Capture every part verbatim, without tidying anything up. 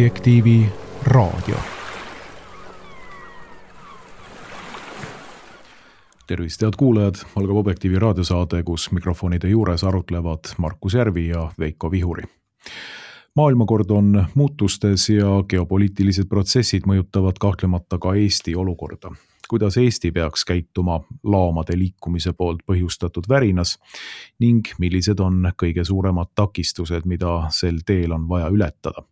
Objektiivi raadio. Tervist, head kuulajad, algab Objektiivi raadiosaade, kus mikrofonide juures arutlevad Markus Järvi ja Veiko Vihuri. Maailmakord on muutustes ja geopoliitilised protsessid mõjutavad kahtlemata ka Eesti olukorda. Kuidas Eesti peaks käituma laamade liikumise poolt põhjustatud värinas ning millised on kõige suuremad takistused, mida sel teel on vaja ületada.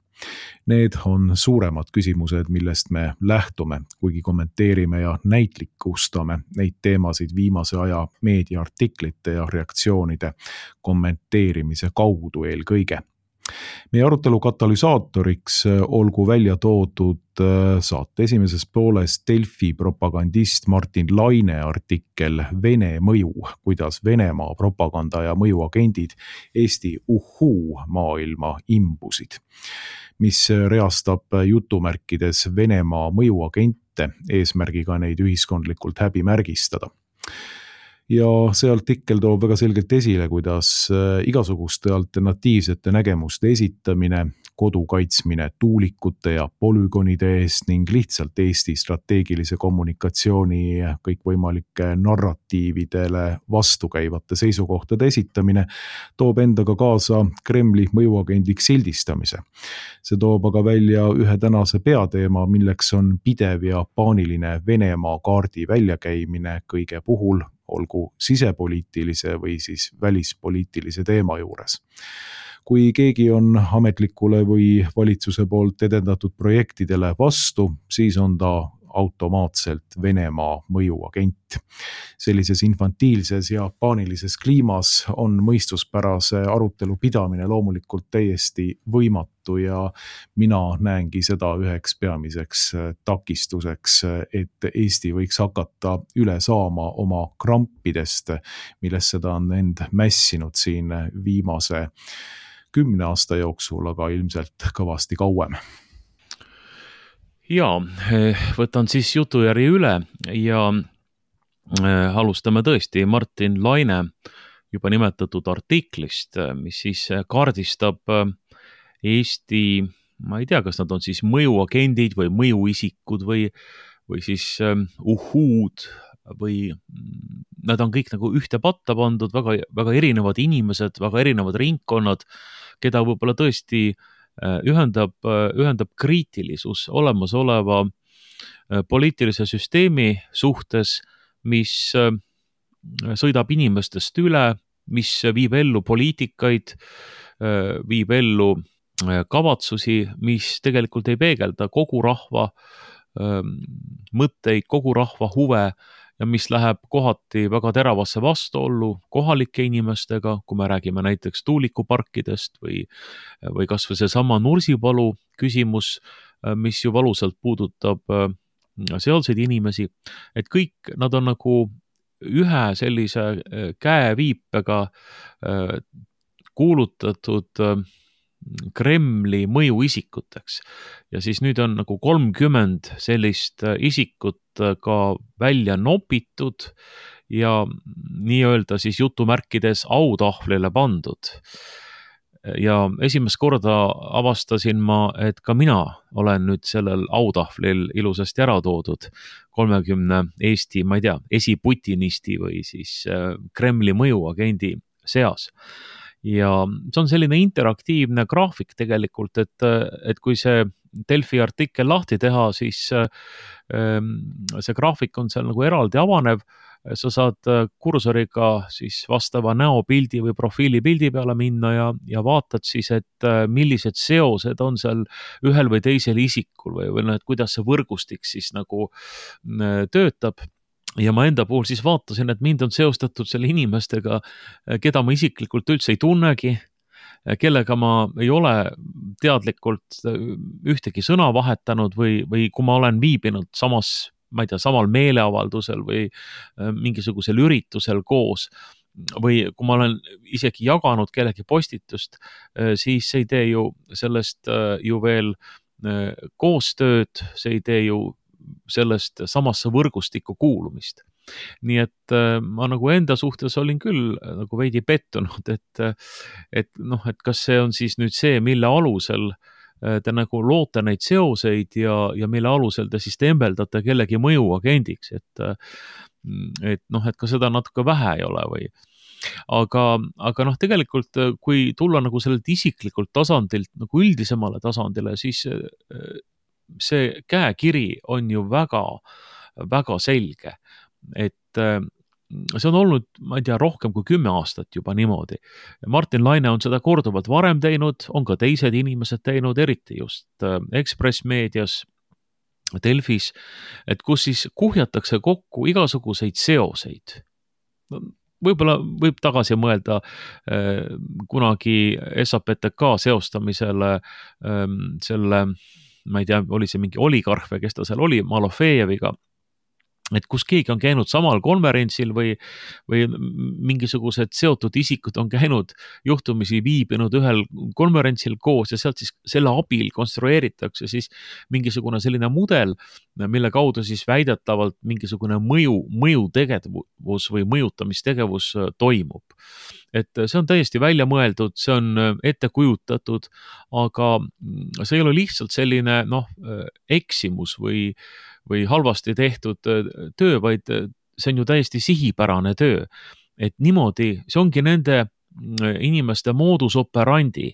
Need on suuremad küsimused, millest me lähtume, kuigi kommenteerime ja näitlikustame neid teemasid viimase aja meediaartiklite ja reaktsioonide kommenteerimise kaudu eelkõige. Meie arutelu katalüsaatoriks olgu välja toodud saate esimeses pooles Delfi propagandist Martin Laine artikkel Vene mõju, kuidas Venemaa propaganda ja mõjuagendid Eesti uhuu maailma imbusid, mis reastab jutumärkides Venemaa mõjuagente eesmärgiga neid ühiskondlikult häbimärgistada. Ja see artikkel toob väga selgelt esile, kuidas igasuguste alternatiivsete nägemuste esitamine, kodu kaitsmine tuulikute ja polügonide eest ning lihtsalt Eesti strateegilise kommunikatsiooni kõikvõimalike narratiividele vastukäivate seisukohtade esitamine toob endaga kaasa Kremli mõjuagendiks sildistamise. See toob aga välja ühe tänase peateema, milleks on pidev ja paaniline Venemaa kaardi väljakäimine kõige puhul, olgu sisepoliitilise või siis välispoliitilise teema juures. Kui keegi on ametlikule või valitsuse poolt edendatud projektidele vastu, siis on ta automaatselt Venemaa mõjuagent. Sellises infantiilses ja paanilises kliimas on mõistuspärase arutelu pidamine loomulikult täiesti võimatu ja mina näengi seda üheks peamiseks takistuseks, et Eesti võiks hakata üle saama oma krampidest, millest seda on end mässinud siin viimase kümne aasta jooksul, aga ilmselt kõvasti kauem. Jaa, võtan siis jutujärje üle ja alustame tõesti Martin Laine juba nimetatud artiklist, mis siis kaardistab Eesti, ma ei tea, kas nad on siis mõjuagendid või mõjuisikud või, või siis uhuud või nad on kõik nagu ühte patta pandud, väga, väga erinevad inimesed, väga erinevad ringkonnad, keda võib-olla tõesti ühendab, ühendab kriitilisus olemasoleva poliitilise süsteemi suhtes, mis sõidab inimestest üle, mis viib ellu poliitikaid, viib ellu kavatsusi, mis tegelikult ei peegelda kogu rahva mõtteid, kogu rahva huve ja mis läheb kohati väga teravasse vastuollu kohalike inimestega, kui me räägime näiteks tuulikuparkidest või, või kas või seesama Nursipalu küsimus, mis ju valusalt puudutab sealseid inimesi, et kõik nad on nagu ühe sellise käeviipega kuulutatud Kremli mõjuisikuteks. Ja siis nüüd on nagu kolmkümmend sellist isikut ka välja nopitud ja nii-öelda siis jutumärkides autahvlile pandud. Ja esimest korda avastasin ma, et ka mina olen nüüd sellel autahvlil ilusasti ära toodud kolmekümne Eesti, ma ei tea, esiputinisti või siis Kremli mõjuagendi seas. Ja see on selline interaktiivne graafik tegelikult, et, et kui see Delfi artikkel lahti teha, siis see graafik on seal nagu eraldi avanev, sa saad kursoriga siis vastava näopildi või profiilipildi peale minna ja, ja vaatad siis, et millised seosed on seal ühel või teisel isikul või, või et kuidas see võrgustik siis nagu töötab. Ja ma enda puhul siis vaatasin, et mind on seostatud selle inimestega, keda ma isiklikult üldse ei tunnegi, kellega ma ei ole teadlikult ühtegi sõna vahetanud või, või kui ma olen viibinud samas, ma ei tea, samal meeleavaldusel või mingisugusel üritusel koos või kui ma olen isegi jaganud kellegi postitust, siis see ei tee ju sellest ju veel koostööd, see ei tee ju sellest samasse võrgustikku kuulumist. Nii et ma nagu enda suhtes olin küll nagu veidi pettunud, et, et, noh, et kas see on siis nüüd see, mille alusel te nagu loote neid seoseid ja, ja mille alusel te siis tembeldate kellegi mõjuagendiks, et, et noh, et ka seda natuke vähe ei ole või. Aga, aga noh, tegelikult kui tulla nagu sellelt isiklikult tasandilt nagu üldisemale tasandile, siis see käekiri on ju väga, väga selge, et see on olnud, ma ei tea, rohkem kui kümme aastat juba niimoodi. Martin Laine on seda korduvalt varem teinud, on ka teised inimesed teinud, eriti just Ekspress Meedias, Delfis, et kus siis kuhjatakse kokku igasuguseid seoseid. Võib-olla võib tagasi mõelda äh, kunagi S A P T K seostamisele äh, selle, ma ei tea, oli see mingi oligarh või kes ta seal oli, Malofejeviga, et kus keegi on käinud samal konverentsil või, või mingisugused seotud isikud on käinud juhtumisi viibinud ühel konverentsil koos ja sealt siis selle abil konstrueeritakse siis mingisugune selline mudel, mille kaudu siis väidetavalt mingisugune mõju, mõjutegevus või mõjutamistegevus toimub. Et see on täiesti välja mõeldud, see on ette kujutatud, aga see ei ole lihtsalt selline noh, eksimus või või halvasti tehtud töö, vaid see on ju täiesti sihipärane töö. Et niimoodi, see ongi nende inimeste modus operandi,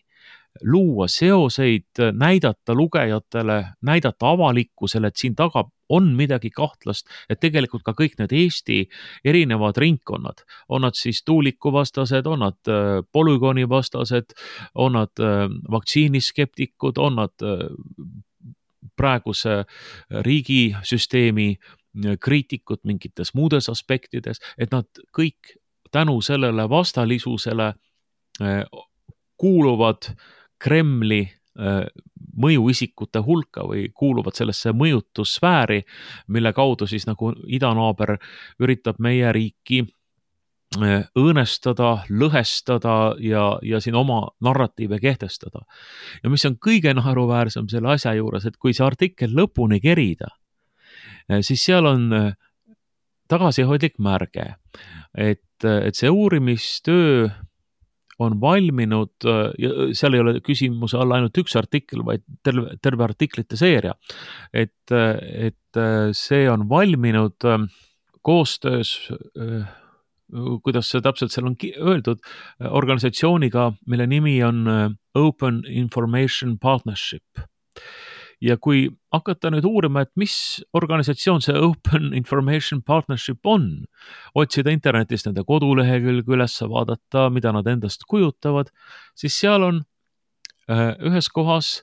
luua seoseid, näidata lugejatele, näidata avalikkusele, et siin taga on midagi kahtlast, et tegelikult ka kõik need Eesti erinevad ringkonnad, on nad siis tuulikuvastased, on nad polügoonivastased, on nad vaktsiiniskeptikud, on nad praeguse riigisüsteemi kriitikud mingites muudes aspektides, et nad kõik tänu sellele vastalisusele kuuluvad Kremli mõjuisikute hulka või kuuluvad sellesse mõjutussfääri, mille kaudu siis nagu idanaaber üritab meie riiki õõnestada, lõhestada ja, ja siin oma narratiive kehtestada. Ja mis on kõige naeruväärsem selle asja juures, et kui see artikkel lõpuni kerida, siis seal on tagasihoidlik märge, et, et see uurimistöö on valminud, ja seal ei ole küsimuse all ainult üks artikkel, vaid terve, terve artiklite seeria, et, et see on valminud koostöös kuidas see täpselt seal on öeldud, organisatsiooniga, mille nimi on Open Information Partnership. Ja kui hakata nüüd uurima, et mis organisatsioon see Open Information Partnership on, otsida internetist nende kodulehekülge üles, vaadata, mida nad endast kujutavad, siis seal on ühes kohas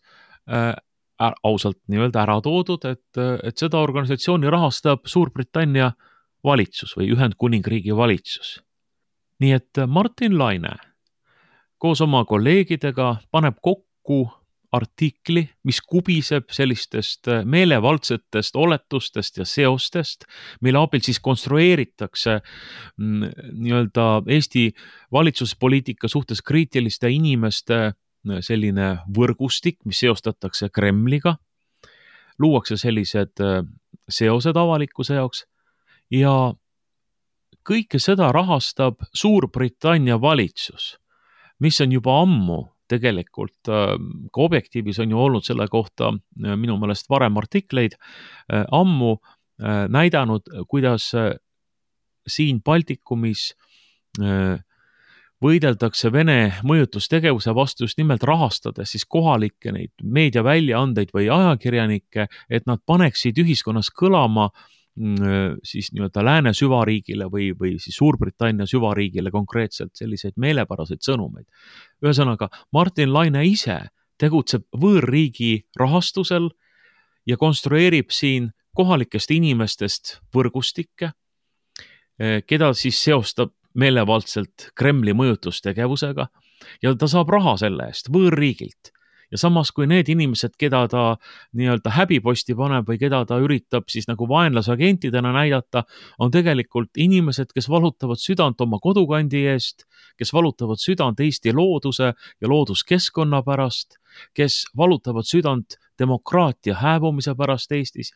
ausalt nii-öelda ära toodud, et, et seda organisatsiooni rahastab Suurbritannia valitsus või Ühendkuningriigi valitsus. Nii et Martin Laine koos oma kolleegidega paneb kokku artikli, mis kubiseb sellistest meelevaldsetest oletustest ja seostest, mille abil siis konstrueeritakse nii-öelda Eesti valitsuspoliitika suhtes kriitiliste inimeste selline võrgustik, mis seostatakse Kremliga, luuakse sellised seosed avalikkuse jaoks, ja kõike seda rahastab Suurbritannia valitsus, mis on juba ammu tegelikult, ka Objektiivis on ju olnud selle kohta minu meelest varem artikleid, ammu näidanud, kuidas siin Baltikumis võideldakse Vene mõjutustegevuse vastu just nimelt rahastades siis kohalikke neid meediaväljaandeid või ajakirjanikke, et nad paneksid ühiskonnas kõlama siis nii-öelda lääne süvariigile või, või siis Suurbritannia süvariigile konkreetselt selliseid meelepäraseid sõnumeid. Ühesõnaga, Martin Laine ise tegutseb võõrriigi rahastusel ja konstrueerib siin kohalikest inimestest võrgustikke, keda siis seostab meelevaldselt Kremli mõjutustegevusega ja ta saab raha selle eest võõrriigilt. Ja samas kui need inimesed, keda ta nii-öelda häbiposti paneb või keda ta üritab siis nagu vaenlasagentidena näidata, on tegelikult inimesed, kes valutavad südant oma kodukandi eest, kes valutavad südant Eesti looduse ja looduskeskkonna pärast, kes valutavad südant demokraatia hääbumise pärast Eestis.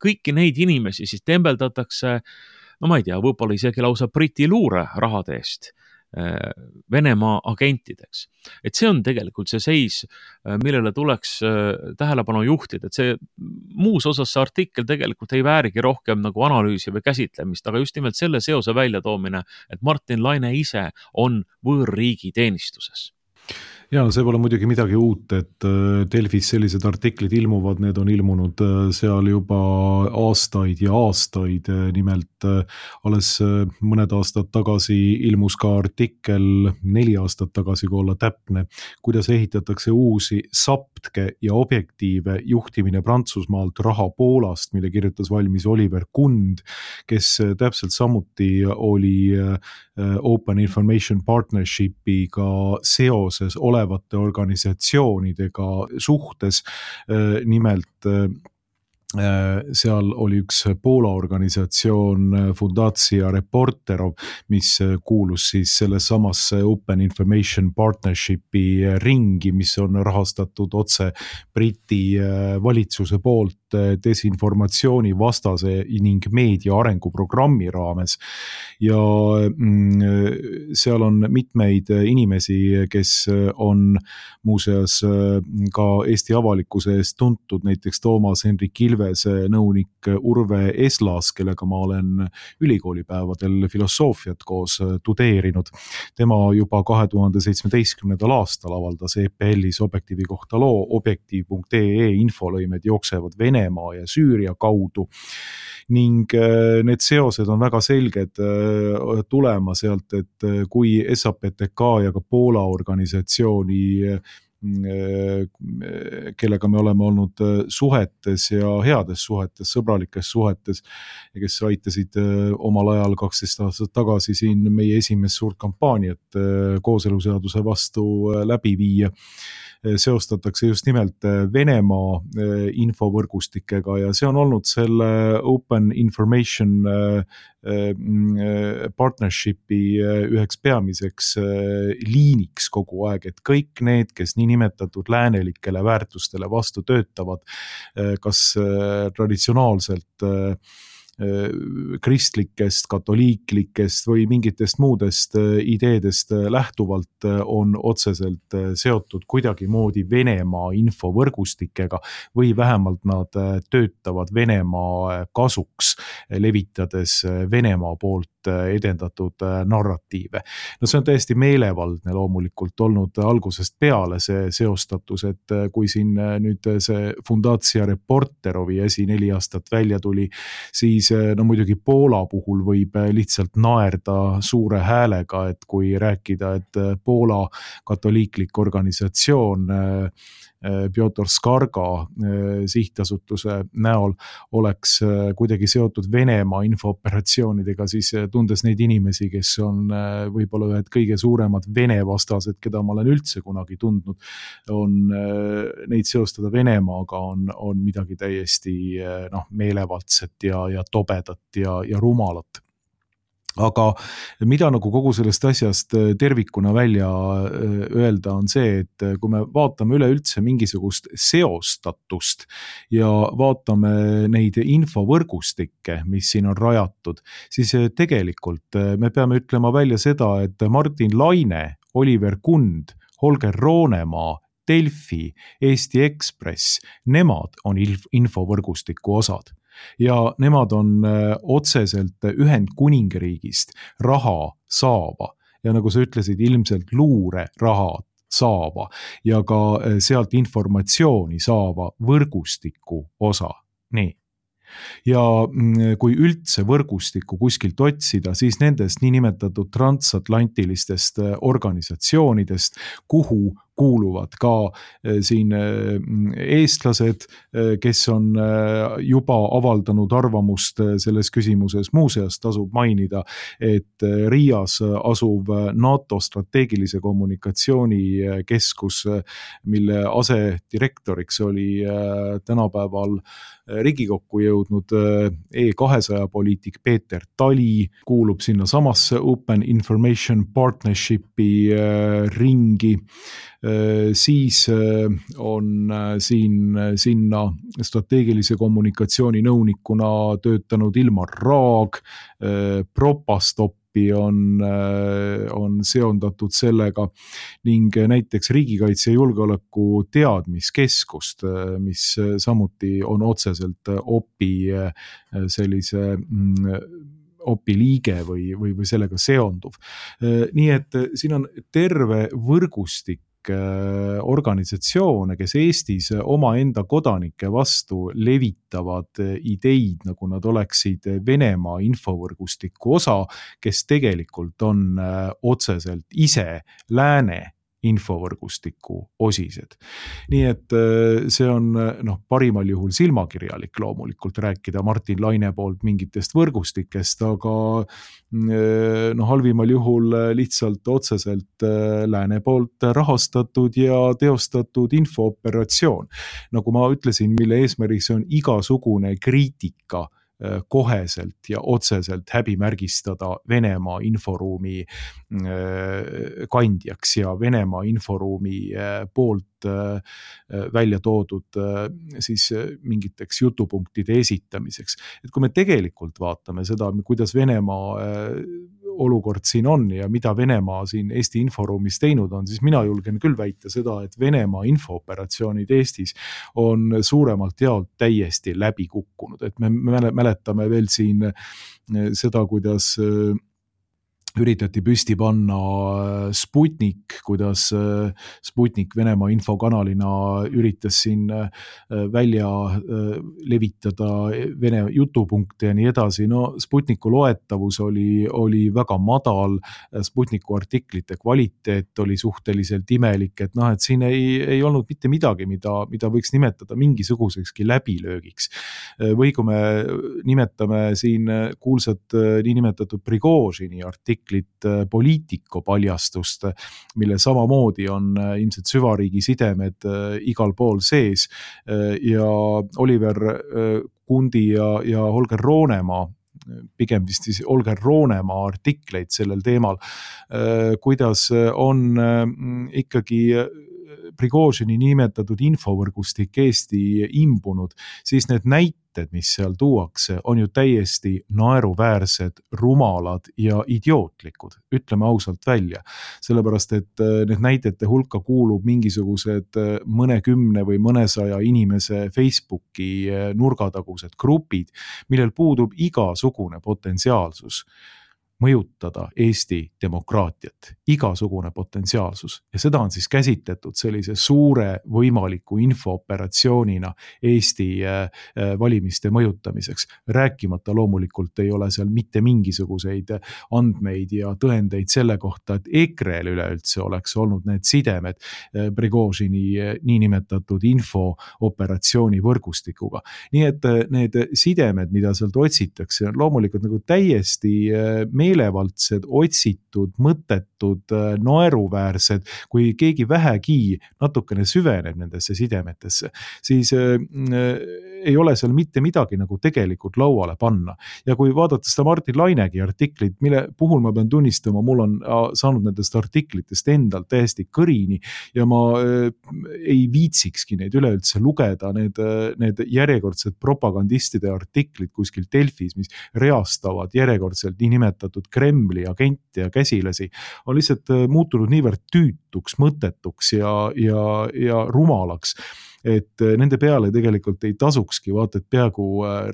Kõiki neid inimesi siis tembeldatakse, no ma ei tea, võib-olla isegi lausa Briti luure rahade eest Venemaa agentideks. Et see on tegelikult see seis, millele tuleks tähelepanu juhtida, et see muus osas see artikkel tegelikult ei väärigi rohkem nagu analüüsi või käsitlemist, aga just nimelt selle seose väljatoomine, et Martin Laine ise on võõrriigi teenistuses. Ja see pole muidugi midagi uut, et Delfis sellised artiklid ilmuvad, need on ilmunud seal juba aastaid ja aastaid, nimelt alles mõned aastad tagasi ilmus ka artikkel, neli aastat tagasi, kui olla täpne, kuidas ehitatakse uusi saptke ja objektiive juhtimine Prantsusmaalt raha Poolast, mille kirjutas valmis Oliver Kund, kes täpselt samuti oli Open Information Partnershipiga seoses olevate organisatsioonidega suhtes. Nimelt seal oli üks Poola organisatsioon Fundacja Reporterov, mis kuulus siis selle samasse Open Information Partnershipi ringi, mis on rahastatud otse Briti valitsuse poolt desinformatsiooni vastase ning meedia arenguprogrammi raames. Ja seal on mitmeid inimesi, kes on muuseas ka Eesti avalikkuse eest tuntud, näiteks Toomas Hendrik Ilvese nõunik Urve Eslas, kellega ma olen ülikoolipäevadel filosoofiat koos tudeerinud. Tema juba kahe tuhande seitsmeteistkümnendal aastal avaldas E P L-is Objektiivi kohta loo objektiiv punkt E E infolõimed jooksevad Venemaa ja Süüria kaudu. Ning need seosed on väga selged tulema sealt, et kui S A P T K ja ka Poola organisatsiooni, kellega me oleme olnud suhetes ja heades suhetes, sõbralikes suhetes, ja kes aitasid omal ajal kaksteist aastat tagasi siin meie esimest suurt kampaaniat kooseluseaduse vastu läbi viia, seostatakse just nimelt Venemaa infovõrgustikega ja see on olnud selle Open Information Partnershipi üheks peamiseks liiniks kogu aeg, et kõik need, kes nii nimetatud läänelikele väärtustele vastu töötavad, kas traditsionaalselt kristlikest, katoliiklikest või mingitest muudest ideedest lähtuvalt on otseselt seotud kuidagi moodi Venemaa infovõrgustikega või vähemalt nad töötavad Venemaa kasuks, levitades Venemaa poolt edendatud narratiive. No see on täiesti meelevaldne loomulikult olnud algusest peale see seostatus, et kui siin nüüd see Fundacja Reporterovi asi neli aastat välja tuli, siis no muidugi Poola puhul võib lihtsalt naerda suure häälega, et kui rääkida, et Poola katoliiklik organisatsioon Piotr Skarga sihtasutuse näol oleks kuidagi seotud Venemaa infooperatsioonidega, siis tundes neid inimesi, kes on võib-olla ühed kõige suuremad Vene vastased, keda ma olen üldse kunagi tundnud, on neid seostada Venemaaga on, on midagi täiesti noh, meelevaldset ja, ja tobedat ja, ja rumalat. Aga mida nagu kogu sellest asjast tervikuna välja öelda on see, et kui me vaatame üleüldse mingisugust seostatust ja vaatame neid infovõrgustikke, mis siin on rajatud, siis tegelikult me peame ütlema välja seda, et Martin Laine, Oliver Kund, Holger Roonemaa, Delfi, Eesti Ekspress, nemad on infovõrgustiku osad. Ja nemad on otseselt Ühendkuningriigist raha saava ja nagu sa ütlesid, ilmselt luure raha saava ja ka sealt informatsiooni saava võrgustiku osa. Nii. Ja kui üldse võrgustikku kuskilt otsida, siis nendest niinimetatud transatlantilistest organisatsioonidest, kuhu kuuluvad ka siin eestlased, kes on juba avaldanud arvamust selles küsimuses. Muuseas tasub mainida, et Riias asuv NATO strateegilise kommunikatsiooni keskus, mille asedirektoriks oli tänapäeval Riigikokku jõudnud E kahesaja poliitik Peeter Tali, kuulub sinna samasse Open Information Partnershipi ringi. Siis on siin sinna strateegilise kommunikatsiooni nõunikuna töötanud Ilmar Raag, Propastop gruppi on, on seondatud sellega ning näiteks riigikaitse ja julgeoleku teadmiskeskust, mis samuti on otseselt O P I sellise O P I liige või, või, või sellega seonduv. Nii et siin on terve võrgustik organisatsioone, kes Eestis oma enda kodanike vastu levitavad ideid, nagu nad oleksid Venemaa infovõrgustiku osa, kes tegelikult on otseselt ise lääne infovõrgustiku osised. Nii et see on noh, parimal juhul silmakirjalik loomulikult rääkida Martin Laine poolt mingitest võrgustikest, aga no, halvimal juhul lihtsalt otseselt lääne poolt rahastatud ja teostatud infooperatsioon. Nagu ma ütlesin, mille eesmärgiks on igasugune kriitika koheselt ja otseselt häbimärgistada Venemaa inforuumi kandjaks ja Venemaa inforuumi poolt välja toodud siis mingiteks jutupunktide esitamiseks. Et kui me tegelikult vaatame seda, kuidas Venemaa olukord siin on ja mida Venemaa siin Eesti inforuumis teinud on, siis mina julgen küll väita seda, et Venemaa infooperatsioonid Eestis on suuremalt jaolt täiesti läbi kukkunud. Et me mäletame veel siin seda, kuidas üritati püsti panna Sputnik, kuidas Sputnik Venemaa infokanalina üritas siin välja levitada Vene jutupunkte ja nii edasi. No Sputniku loetavus oli, oli väga madal, Sputniku artiklite kvaliteet oli suhteliselt imelik, et noh, et siin ei, ei olnud mitte midagi, mida, mida võiks nimetada mingisugusekski läbilöögiks. Või kui me nimetame siin kuulsat niinimetatud Prigožini artiklit, Poliitico paljastust, mille samamoodi on ilmselt süvariigi sidemed igal pool sees ja Oliver Kundi ja, ja Holger Roonemaa, pigem vist siis Holger Roonemaa artikleid sellel teemal, kuidas on ikkagi Prigožini nimetatud infovõrgustik Eesti imbunud, siis need näited, mis seal tuuakse, on ju täiesti naeruväärsed, rumalad ja idiootlikud, ütleme ausalt välja. Sellepärast, et need näidete hulka kuulub mingisugused mõnekümne või mõnesaja inimese Facebooki nurgatagused grupid, millel puudub igasugune potentsiaalsus mõjutada Eesti demokraatiat, igasugune potentsiaalsus. Ja seda on siis käsitletud sellise suure võimaliku infooperatsioonina Eesti valimiste mõjutamiseks. Rääkimata loomulikult ei ole seal mitte mingisuguseid andmeid ja tõendeid selle kohta, et EKRE-l üleüldse oleks olnud need sidemed Prigožini niinimetatud infooperatsiooni võrgustikuga. Nii et need sidemed, mida sealt otsitakse, on loomulikult nagu täiesti meelevaldselt meelevaldsed, otsitud, mõttetud, naeruväärsed, kui keegi vähegi natukene süveneb nendesse sidemetesse, siis äh, ei ole seal mitte midagi nagu tegelikult lauale panna. Ja kui vaadata seda Martin Lainegi artiklit, mille puhul ma pean tunnistama, mul on saanud nendest artiklitest endalt täiesti kõrini ja ma äh, ei viitsikski neid üleüldse lugeda, need, need järjekordsed propagandistide artiklid kuskil Delfis, mis reastavad järjekordselt niinimetatud Kremli agente ja käsilasi, on lihtsalt muutunud niivõrd tüütuks, mõttetuks ja, ja, ja rumalaks, et nende peale tegelikult ei tasukski vaata, et peaaegu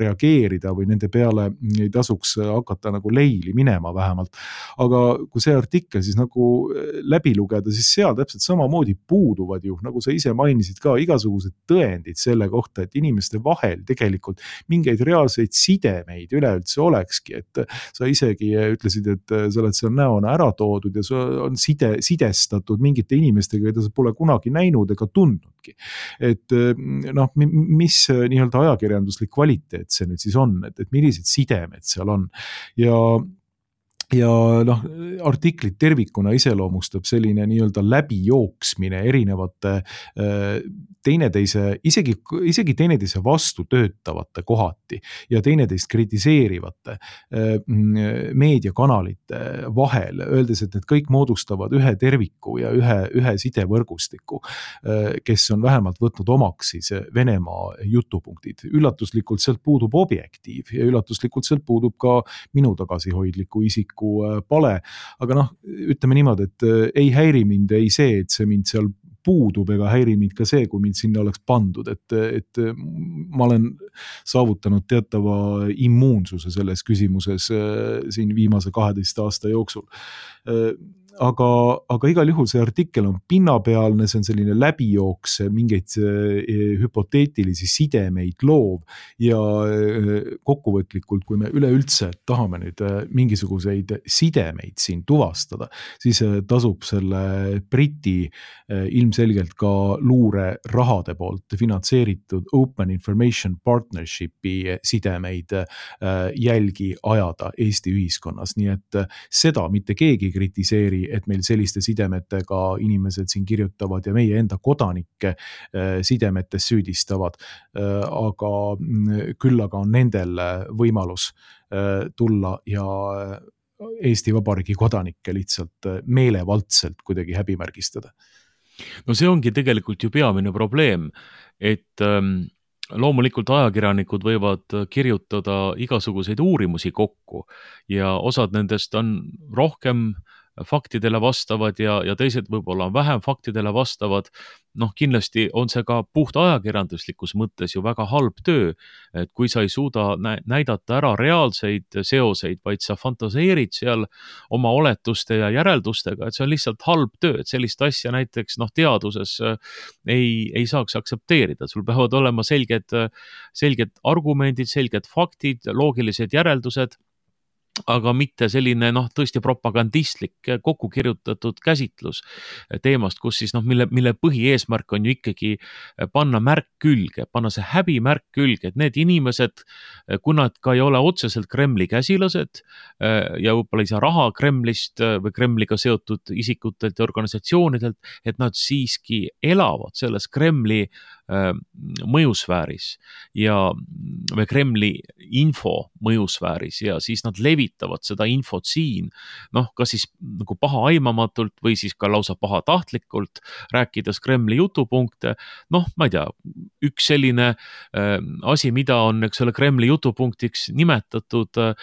reageerida või nende peale ei tasuks hakata nagu leili minema vähemalt. Aga kui see artikkel siis nagu läbi lugeda, siis seal täpselt samamoodi puuduvad ju, nagu sa ise mainisid ka, igasugused tõendid selle kohta, et inimeste vahel tegelikult mingeid reaalseid sidemeid üleüldse olekski, et sa isegi ütlesid, et sa oled seal näona ära toodud ja sa on side, sidestatud mingite inimestega, keda sa pole kunagi näinud ega tundnudki. Et et noh, mis nii-öelda ajakirjanduslik kvaliteet see nüüd siis on, et, et millised sidemed seal on ja ja noh, artiklit tervikuna iseloomustab selline nii-öelda läbijooksmine erinevate teineteise, isegi, isegi teineteise vastu töötavate kohati ja teineteist kritiseerivate meediakanalite vahel, öeldes, et need kõik moodustavad ühe terviku ja ühe, ühe sidevõrgustiku, kes on vähemalt võtnud omaks siis Venemaa jutupunktid. Üllatuslikult sealt puudub objektiiv ja üllatuslikult sealt puudub ka minu tagasihoidliku isiku täielikku pale, aga noh, ütleme niimoodi, et ei häiri mind ei see, et see mind seal puudub ega häiri mind ka see, kui mind sinna oleks pandud, et, et ma olen saavutanud teatava immuunsuse selles küsimuses siin viimase kaheteist aasta jooksul. Aga, aga igal juhul see artikkel on pinnapealne, see on selline läbijooks, mingeid hüpoteetilisi sidemeid loov ja kokkuvõtlikult, kui me üleüldse tahame nüüd mingisuguseid sidemeid siin tuvastada, siis tasub selle Briti ilmselgelt ka luure rahade poolt finantseeritud Open Information Partnershipi sidemeid jälgi ajada Eesti ühiskonnas, nii et seda mitte keegi kritiseeri, et meil selliste sidemetega inimesed siin kirjutavad ja meie enda kodanikke sidemetes süüdistavad, aga küll aga on nendel võimalus tulla ja Eesti Vabariigi kodanikke lihtsalt meelevaldselt kuidagi häbimärgistada. No see ongi tegelikult ju peamine probleem, et loomulikult ajakirjanikud võivad kirjutada igasuguseid uurimusi kokku ja osad nendest on rohkem faktidele vastavad ja, ja teised võib-olla on vähem faktidele vastavad. Noh, kindlasti on see ka puht ajakirjanduslikus mõttes ju väga halb töö, et kui sa ei suuda näidata ära reaalseid seoseid, vaid sa fantaseerid seal oma oletuste ja järeldustega, et see on lihtsalt halb töö, et sellist asja näiteks noh, teaduses ei, ei saaks aksepteerida. Sul peavad olema selged, selged argumendid, selged faktid, loogilised järeldused, aga mitte selline noh, tõesti propagandistlik kokku kirjutatud käsitlus teemast, kus siis noh, mille, mille põhieesmärk on ju ikkagi panna märk külge, panna see häbimärk külge, et need inimesed, kui nad ka ei ole otseselt Kremli käsilased ja võib-olla ei saa raha Kremlist või Kremliga seotud isikutelt ja organisatsioonidelt, et nad siiski elavad selles Kremli mõjusfääris ja või Kremli info mõjusfääris ja siis nad levitavad seda infot siin, noh, kas siis nagu paha aimamatult või siis ka lausa pahatahtlikult, rääkides Kremli jutupunkte. Noh, ma ei tea, üks selline äh, asi, mida on, eks ole, Kremli jutupunktiks nimetatud äh,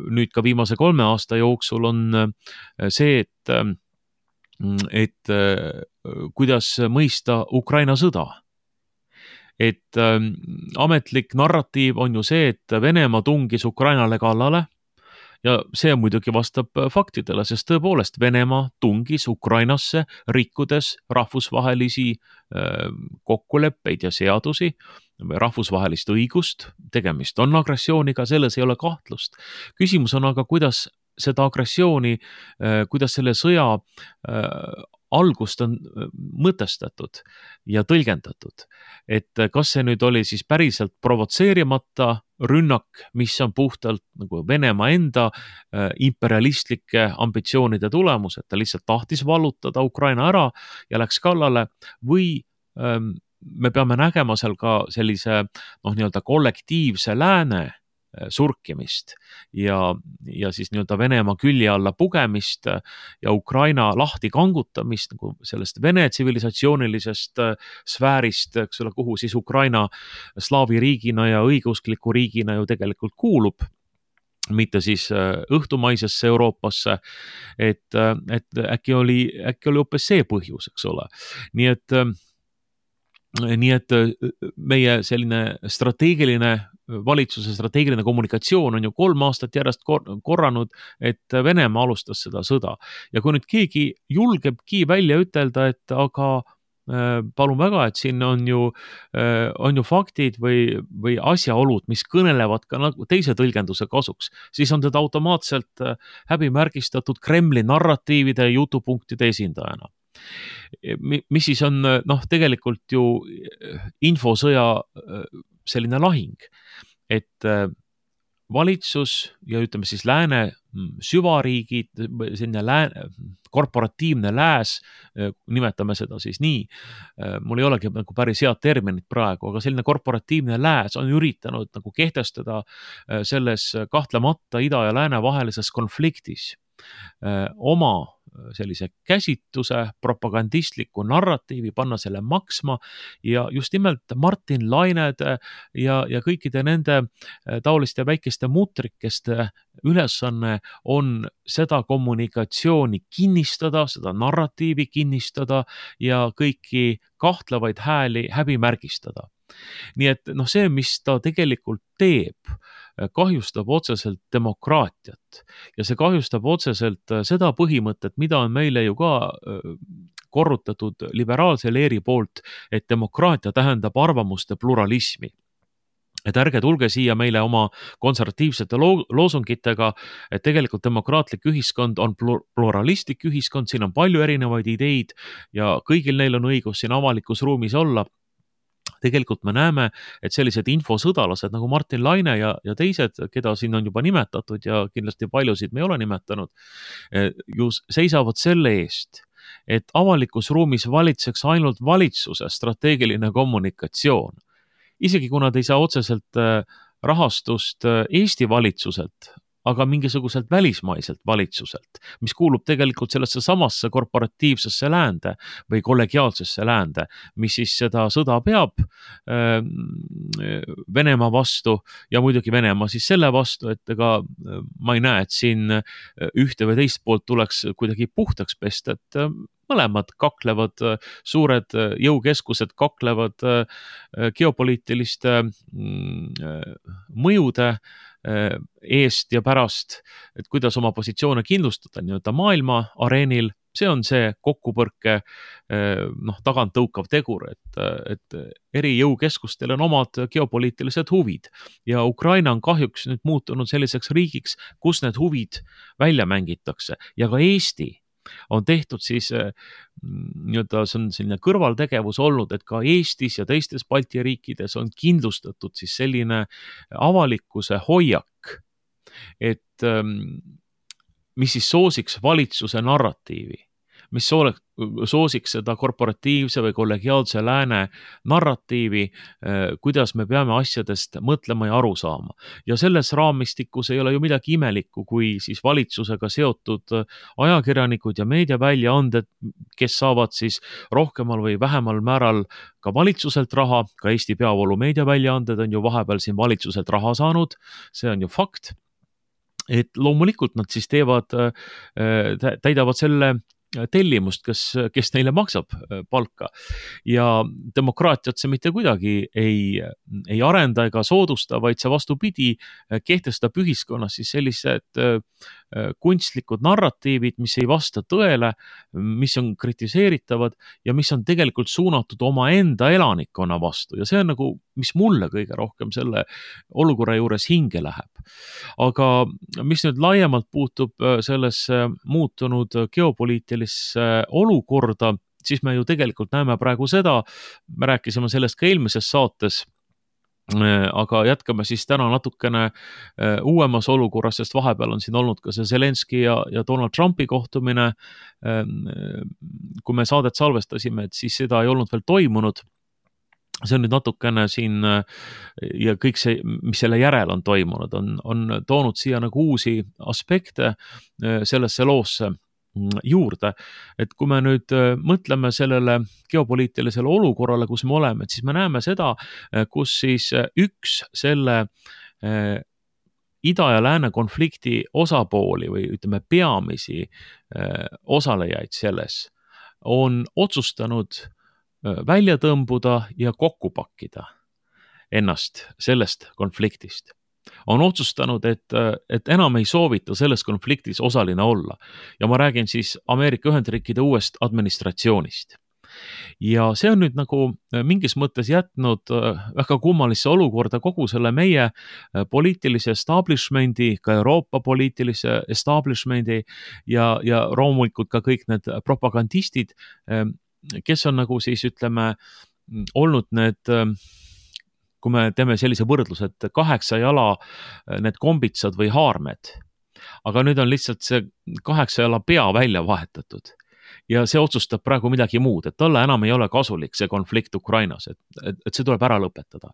nüüd ka viimase kolme aasta jooksul on äh, see, et äh, et kuidas mõista Ukraina sõda. Et äh, ametlik narratiiv on ju see, et Venemaa tungis Ukrainale kallale ja see muidugi vastab faktidele, sest tõepoolest Venemaa tungis Ukrainasse, rikkudes rahvusvahelisi äh, kokkuleppeid ja seadusi, rahvusvahelist õigust, tegemist on agressiooniga, selles ei ole kahtlust. Küsimus on aga, kuidas seda agressiooni, kuidas selle sõja algust on mõtestatud ja tõlgendatud. Et kas see nüüd oli siis päriselt provotseerimata rünnak, mis on puhtalt nagu Venemaa enda imperialistlike ambitsioonide tulemus, et ta lihtsalt tahtis vallutada Ukraina ära ja läks kallale, või me peame nägema seal ka sellise noh, nii-öelda kollektiivse lääne surkimist ja, ja siis nii-öelda Venemaa külje alla pugemist ja Ukraina lahti kangutamist nagu sellest Vene tsivilisatsioonilisest sfäärist, eks ole, kuhu siis Ukraina slaavi riigina ja õigeuskliku riigina ju tegelikult kuulub, mitte siis õhtumaisesse Euroopasse, et, et äkki oli, äkki oli hoopis see põhjus, eks ole. Nii et Nii et meie selline strateegiline, valitsuse strateegiline kommunikatsioon on ju kolm aastat järjest korranud, et Venemaa alustas seda sõda. Ja kui nüüd keegi julgebki välja ütelda, et aga palun väga, et siin on ju, on ju faktid või, või asjaolud, mis kõnelevad ka nagu teise tõlgenduse kasuks, siis on teda automaatselt häbimärgistatud Kremli narratiivide ja jutupunktide esindajana. Mis siis on noh, tegelikult ju infosõja selline lahing, et valitsus ja ütleme siis lääne süvariigid, selline lääne, korporatiivne lääs, nimetame seda siis nii, mul ei olegi nagu päris head terminit praegu, aga selline korporatiivne lääs on üritanud nagu kehtestada selles kahtlemata ida ja lääne vahelises konfliktis oma sellise käsitluse, propagandistliku narratiivi, panna selle maksma ja just nimelt Martin Lainede ja, ja kõikide nende taoliste väikeste mutrikeste ülesanne on seda kommunikatsiooni kinnistada, seda narratiivi kinnistada ja kõiki kahtlevaid hääli häbimärgistada. Nii et noh, see, mis ta tegelikult teeb, kahjustab otseselt demokraatiat ja see kahjustab otseselt seda põhimõtet, mida on meile ju ka korrutatud liberaalse leeri poolt, et demokraatia tähendab arvamuste pluralismi. Et ärge tulge siia meile oma konservatiivsete lo- loosungitega, et tegelikult demokraatlik ühiskond on pluralistlik ühiskond, siin on palju erinevaid ideid ja kõigil neil on õigus siin avalikus ruumis olla. Tegelikult me näeme, et sellised infosõdalased nagu Martin Laine ja, ja teised, keda siin on juba nimetatud ja kindlasti paljusid me ei ole nimetanud, ju seisavad selle eest, et avalikus ruumis valitseks ainult valitsuse strateegiline kommunikatsioon. Isegi kui nad ei saa otseselt rahastust Eesti valitsuselt, aga mingisuguselt välismaiselt valitsuselt, mis kuulub tegelikult sellesse samasse korporatiivsesse läände või kollegiaalsesse läände, mis siis seda sõda peab äh, Venemaa vastu ja muidugi Venemaa siis selle vastu, et ega ma ei näe, et siin ühte või teist poolt tuleks kuidagi puhtaks pesta, et mõlemad kaklevad, suured jõukeskused kaklevad geopoliitiliste mõjude eest ja pärast, et kuidas oma positsioone kindlustada nii-öelda maailma areenil, see on see kokkupõrke noh, tagant tõukav tegur, et, et eri jõukeskustel on omad geopoliitilised huvid ja Ukraina on kahjuks nüüd muutunud selliseks riigiks, kus need huvid välja mängitakse ja ka Eesti on tehtud siis nii-öelda, see on selline kõrvaltegevus olnud, et ka Eestis ja teistes Balti riikides on kindlustatud siis selline avalikkuse hoiak, et mis siis soosiks valitsuse narratiivi, mis soosiks seda korporatiivse või kollegiaalse lääne narratiivi, kuidas me peame asjadest mõtlema ja aru saama. Ja selles raamistikus ei ole ju midagi imelikku, kui siis valitsusega seotud ajakirjanikud ja meediaväljaanded, kes saavad siis rohkemal või vähemal määral ka valitsuselt raha, ka Eesti peavoolu meediaväljaanded on ju vahepeal siin valitsuselt raha saanud, see on ju fakt, et loomulikult nad siis teevad, täidavad selle tellimust, kes, kes neile maksab palka ja demokraatiat see mitte kuidagi ei, ei arenda ega soodusta, vaid see vastupidi kehtestab ühiskonnas siis sellised kunstlikud narratiivid, mis ei vasta tõele, mis on kritiseeritavad ja mis on tegelikult suunatud oma enda elanikkonna vastu ja see on nagu, mis mulle kõige rohkem selle olukorra juures hinge läheb. Aga mis nüüd laiemalt puutub sellesse muutunud geopoliitilisse olukorda, siis me ju tegelikult näeme praegu seda, me rääkisime sellest ka eelmises saates, aga jätkame siis täna natukene uuemas olukorras, sest vahepeal on siin olnud ka see Zelenski ja, ja Donald Trumpi kohtumine. Kui me saadet salvestasime, et siis seda ei olnud veel toimunud. See on nüüd natukene siin ja kõik see, mis selle järel on toimunud, on, on toonud siia nagu uusi aspekte sellesse loosse juurde, et kui me nüüd mõtleme sellele geopoliitilisele olukorrale, kus me oleme, et siis me näeme seda, kus siis üks selle ida ja lääne konflikti osapooli või ütleme peamisi osalejaid selles on otsustanud välja tõmbuda ja kokku pakkida ennast sellest konfliktist. On otsustanud, et, et enam ei soovita selles konfliktis osaline olla. Ja ma räägin siis Ameerika Ühendriikide uuest administratsioonist. Ja see on nüüd nagu mingis mõttes jätnud väga kummalisse olukorda kogu selle meie poliitilise establishmendi, ka Euroopa poliitilise establishmendi ja, ja loomulikult ka kõik need propagandistid, kes on nagu siis ütleme olnud need, kui me teeme sellise võrdluse, et kaheksa jala need kombitsad või haarmed, aga nüüd on lihtsalt see kaheksa jala pea välja vahetatud ja see otsustab praegu midagi muud, et talle enam ei ole kasulik see konflikt Ukrainas, et, et, et see tuleb ära lõpetada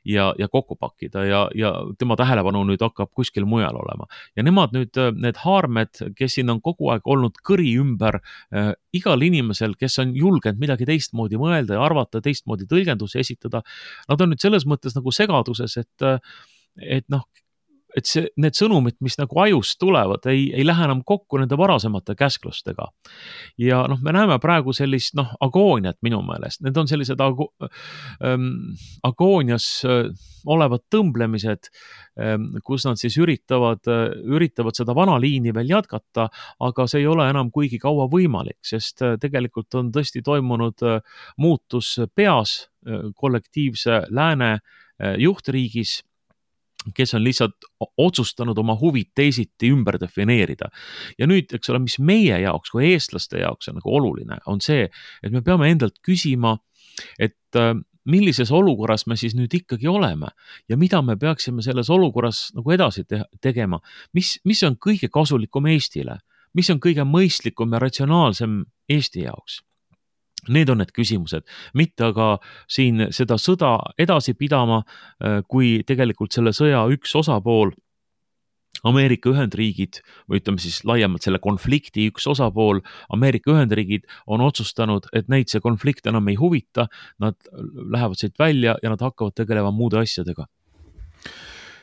ja, ja kokku pakkida ja, ja tema tähelepanu nüüd hakkab kuskil mujal olema. Ja nemad nüüd, need haarmed, kes siin on kogu aeg olnud kõri ümber äh, igal inimesel, kes on julgenud midagi teistmoodi mõelda ja arvata, teistmoodi tõlgendusi esitada, nad on nüüd selles mõttes nagu segaduses, et, et noh, et see, need sõnumid, mis nagu ajust tulevad, ei, ei lähe enam kokku nende varasemate käsklustega. Ja noh, me näeme praegu sellist noh, agooniat minu meelest. Need on sellised ago, ähm, agoonias äh, olevad tõmblemised, ähm, kus nad siis üritavad, äh, üritavad seda vana liini veel jätkata, aga see ei ole enam kuigi kaua võimalik, sest äh, tegelikult on tõesti toimunud äh, muutus peas äh, kollektiivse lääne äh, juhtriigis, kes on lihtsalt otsustanud oma huvid teisiti ümber defineerida. Ja nüüd, eks ole, mis meie jaoks, kui eestlaste jaoks on nagu oluline, on see, et me peame endalt küsima, et millises olukorras me siis nüüd ikkagi oleme ja mida me peaksime selles olukorras nagu edasi te- tegema. Mis, mis on kõige kasulikum Eestile? Mis on kõige mõistlikum ja ratsionaalsem Eesti jaoks? Need on need küsimused, mitte aga siin seda sõda edasi pidama, kui tegelikult selle sõja üks osapool, Ameerika Ühendriigid, või ütleme siis laiemalt selle konflikti üks osapool, Ameerika Ühendriigid on otsustanud, et neid see konflikt enam ei huvita, nad lähevad siit välja ja nad hakkavad tegelema muude asjadega.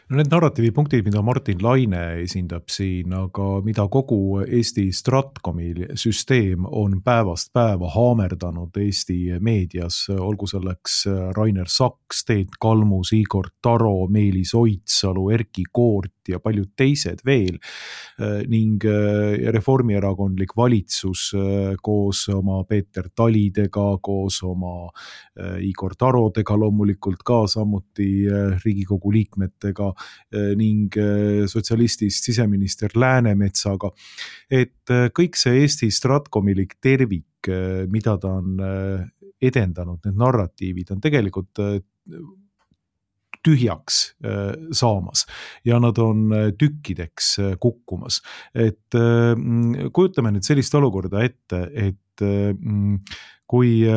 No need narratiivipunktid, mida Martin Laine esindab siin, aga mida kogu Eesti Stratkomi süsteem on päevast päeva haamerdanud Eesti meedias, olgu selleks Rainer Saks, Teet Kalmus, Igor Taro, Meelis Oidsalu, Erki Koort ja paljud teised veel ning reformierakondlik valitsus koos oma Peeter Talidega, koos oma Igor Tarodega loomulikult ka samuti Riigikogu liikmetega ning sotsialistist siseminister Läänemetsaga, et kõik see Eesti Stratkomilik tervik, mida ta on edendanud, need narratiivid on tegelikult tühjaks saamas ja nad on tükkideks kukkumas. Et kujutame nüüd sellist olukorda ette, et kui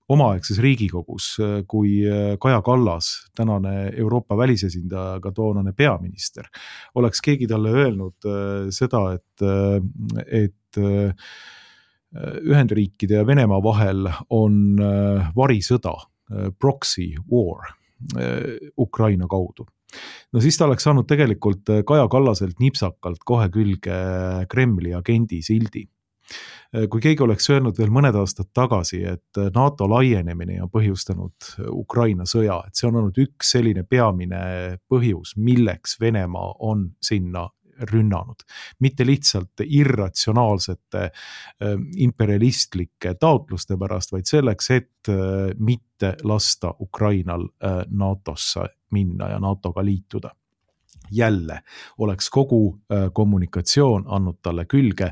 omaaegses Riigikogus, kui Kaja Kallas, tänane Euroopa välisesindaja, ka toonane peaminister, oleks keegi talle öelnud seda, et, et Ühendriikide ja Venemaa vahel on varisõda, proxy war Ukraina kaudu. No siis ta oleks saanud tegelikult Kaja Kallaselt nipsakalt kohe külge Kremli agendi sildi. Kui keegi oleks öelnud veel mõned aastad tagasi, et NATO laienemine on põhjustanud Ukraina sõja, et see on olnud üks selline peamine põhjus, milleks Venemaa on sinna rünnanud. Mitte lihtsalt irratsionaalsete imperialistlike taotluste pärast, vaid selleks, et mitte lasta Ukrainal NATOsse minna ja NATOga liituda. Jälle oleks kogu kommunikatsioon andnud talle külge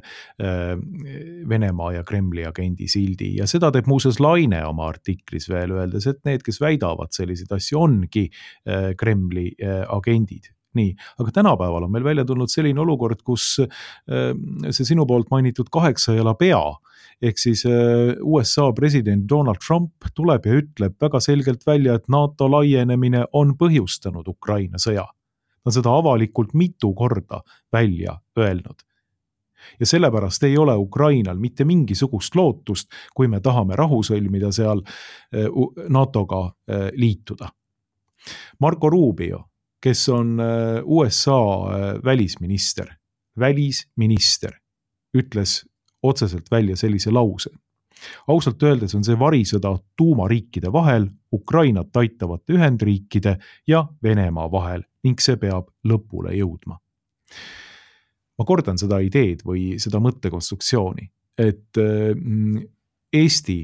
Venemaa ja Kremli agendi sildi ja seda teeb muuseas Laine oma artiklis veel öeldes, et need, kes väidavad selliseid asju, ongi Kremli agendid. Nii, aga tänapäeval on meil välja tulnud selline olukord, kus see sinu poolt mainitud kaheksa jala pea, ehk siis U S A president Donald Trump tuleb ja ütleb väga selgelt välja, et NATO laienemine on põhjustanud Ukraina sõja. Ta on seda avalikult mitu korda välja öelnud. Ja sellepärast ei ole Ukrainal mitte mingisugust lootust, kui me tahame rahu sõlmida seal NATOga liituda. Marco Rubio, kes on U S A välisminister, välisminister, ütles otseselt välja sellise lause. Ausalt öeldes on see varisõda tuumariikide vahel, Ukrainat aitavate Ühendriikide ja Venemaa vahel ning see peab lõpule jõudma. Ma kordan seda ideed või seda mõttekonstruktsiooni, et Eesti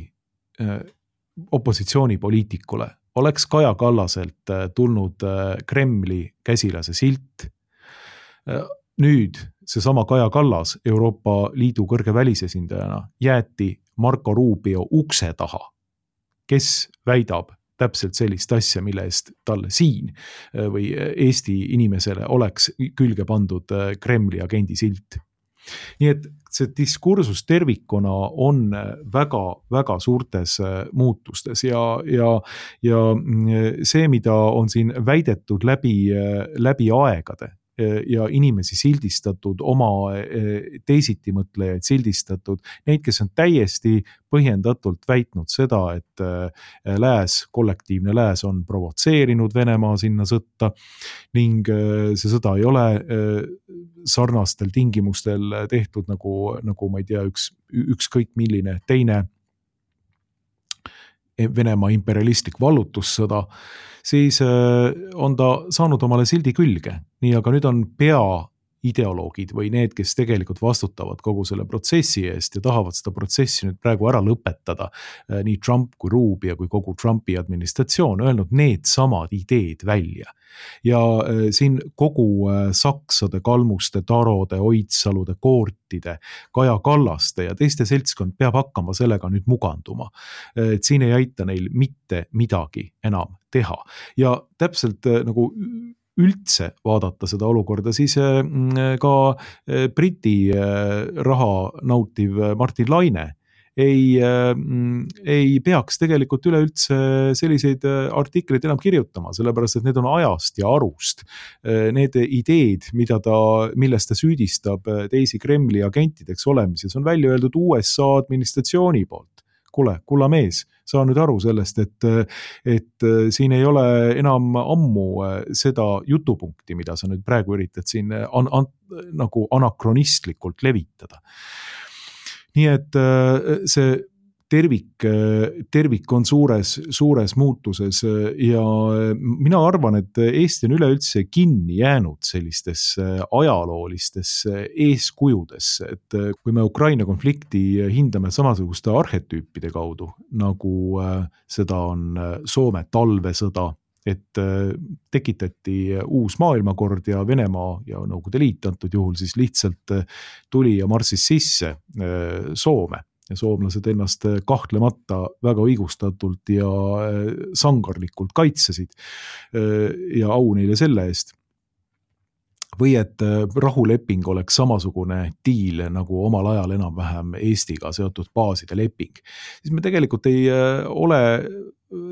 opositsioonipoliitikule oleks Kaja Kallaselt tulnud Kremli käsilase silt. Nüüd seesama Kaja Kallas Euroopa Liidu kõrge välisesindajana jäeti Marco Rubio ukse taha, kes väidab täpselt sellist asja, mille eest talle siin või Eesti inimesele oleks külge pandud Kremli agendi silt. nii et see diskursus tervikuna on väga-väga suurtes muutustes ja, ja, ja see, mida on siin väidetud läbi, läbi aegade ja inimesi sildistatud, oma teisitimõtlejaid sildistatud, neid, kes on täiesti põhjendatult väitnud seda, et lääs, kollektiivne lääs on provotseerinud Venemaa sinna sõtta ning see sõda ei ole sarnastel tingimustel tehtud nagu, nagu ma ei tea, üks, ükskõik milline teine Venemaa imperialistlik vallutussõda, siis on ta saanud omale sildi külge. Nii, aga nüüd on peaideoloogid või need, kes tegelikult vastutavad kogu selle protsessi eest ja tahavad seda protsessi nüüd praegu ära lõpetada. Nii Trump kui Rubio kui kogu Trumpi administratsioon öelnud need samad ideed välja. Ja siin kogu Saksade, Kalmuste, Tarode, Oidsalude, Koortide, Kaja Kallaste ja teiste seltskond peab hakkama sellega nüüd muganduma. Et siin ei aita neil mitte midagi enam teha. Ja täpselt nagu üldse vaadata seda olukorda, siis ka Briti raha nautiv Martin Laine ei, ei peaks tegelikult üleüldse selliseid artikleid enam kirjutama, sellepärast et need on ajast ja arust. Need ideed, mida ta, millest ta süüdistab teisi Kremli agentideks olemises, on välja öeldud U S A administratsiooni poolt. Kule, kulla mees, saa nüüd aru sellest, et, et siin ei ole enam ammu seda jutupunkti, mida sa nüüd praegu üritad siin an, an, nagu anakronistlikult levitada. Nii et see tervik, tervik on suures, suures muutuses ja mina arvan, et Eesti on üleüldse kinni jäänud sellistesse ajaloolistesse eeskujudesse, et kui me Ukraina konflikti hindame samasuguste arhetüüpide kaudu, nagu seda on Soome talvesõda, et tekitati uus maailmakord ja Venemaa ja Nõukogude Liit antud juhul siis lihtsalt tuli ja marssis sisse Soome. Ja soomlased ennast kahtlemata väga õigustatult ja sangarlikult kaitsesid ja au neile selle eest. Või et rahuleping oleks samasugune diil nagu omal ajal enam-vähem Eestiga seotud baaside leping. Siis me tegelikult ei ole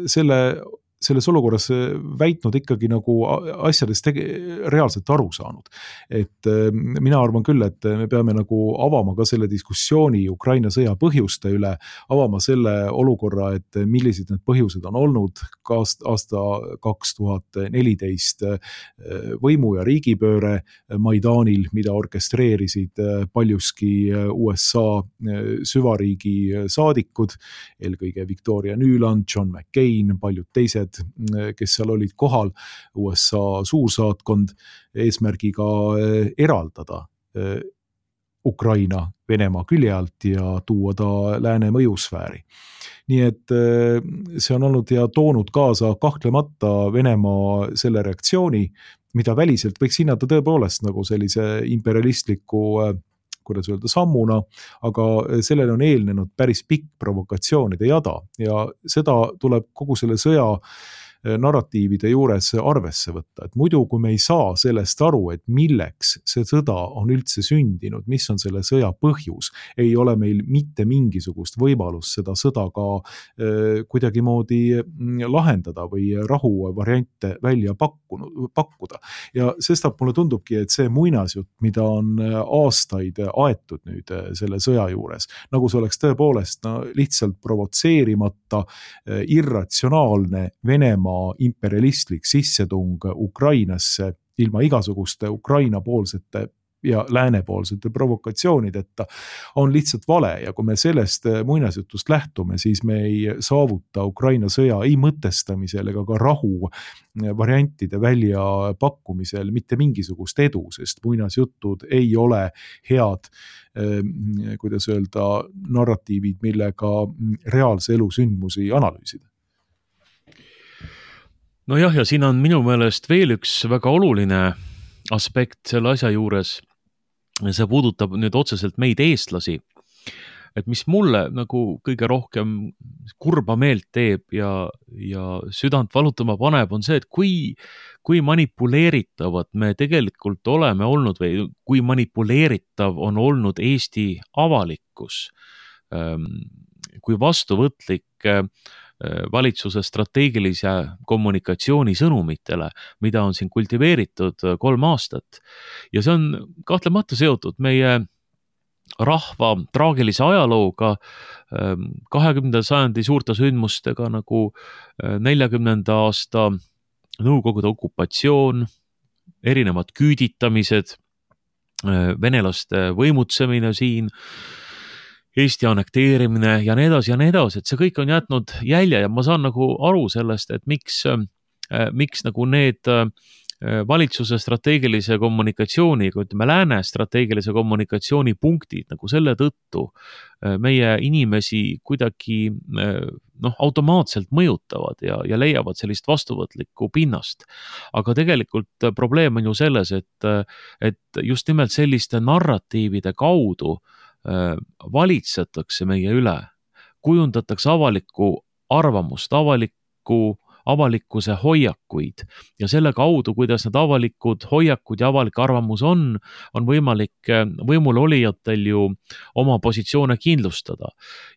selle selles olukorras väitnud ikkagi nagu asjadest tege, reaalselt aru saanud. Et mina arvan küll, et me peame nagu avama ka selle diskussiooni Ukraina sõja põhjuste üle, avama selle olukorra, et millised need põhjused on olnud ka aasta kaks tuhat neliteist võimu ja riigipööre Maidanil, mida orkestreerisid paljuski U S A süvariigi saadikud, eelkõige Victoria Nuland, John McCain, paljud teised, kes seal olid kohal, U S A suursaatkond eesmärgiga eraldada Ukraina Venemaa külje alt ja tuua ta lääne mõjusfääri. Nii et see on olnud ja toonud kaasa kahtlemata Venemaa selle reaktsiooni, mida väliselt võiks hinnata tõepoolest nagu sellise imperialistliku kuidas öelda, sammuna, aga sellele on eelnenud päris pikk provokatsioonide jada ja seda tuleb kogu selle sõja narratiivide juures arvesse võtta, et muidu kui me ei saa sellest aru, et milleks see sõda on üldse sündinud, mis on selle sõja põhjus, ei ole meil mitte mingisugust võimalust seda sõda ka äh, kuidagimoodi lahendada või rahu variante välja pakkunud, pakkuda. Ja sestap mulle tundubki, et see muinasjutt, mida on aastaid aetud nüüd selle sõja juures, nagu see oleks tõepoolest no, lihtsalt provotseerimata, irratsionaalne Venemaa imperialistlik sissetung Ukrainasse ilma igasuguste Ukraina-poolsete ja läänepoolsete provokatsioonideta on lihtsalt vale ja kui me sellest muinasjutust lähtume, siis me ei saavuta Ukraina sõja ei mõtestamisel ega ka rahu variantide välja pakkumisel mitte mingisugust edu, sest muinasjutud ei ole head, kuidas öelda, narratiivid, millega reaalse elu sündmusi analüüsida. No jah, ja siin on minu meelest veel üks väga oluline aspekt selle asja juures. See puudutab nüüd otseselt meid eestlasi. et mis mulle nagu kõige rohkem kurba meelt teeb ja, ja südant valutama paneb, on see, et kui, kui manipuleeritavad me tegelikult oleme olnud või kui manipuleeritav on olnud Eesti avalikkus, kui vastuvõtlik valitsuse strateegilise kommunikatsiooni sõnumitele, mida on siin kultiveeritud kolm aastat. Ja see on kahtlemata seotud meie rahva traagilise ajalooga, kahekümnenda sajandi suurte sündmustega nagu neljakümnenda aasta Nõukogude okupatsioon, erinevad küüditamised, venelaste võimutsemine siin, Eesti annekteerimine ja nii edasi ja nii edasi, et see kõik on jätnud jälje ja ma saan nagu aru sellest, et miks, miks nagu need valitsuse strateegilise kommunikatsiooni, kui ütleme lääne strateegilise kommunikatsiooni punktid nagu selle tõttu meie inimesi kuidagi noh, automaatselt mõjutavad ja, ja leiavad sellist vastuvõtlikku pinnast. Aga tegelikult probleem on ju selles, et, et just nimelt selliste narratiivide kaudu valitsetakse meie üle, kujundatakse avalikku arvamust, avalikku avalikkuse hoiakuid ja selle kaudu, kuidas need avalikud hoiakud ja avalik arvamus on, on võimalik võimul olijatel ju oma positsioone kindlustada.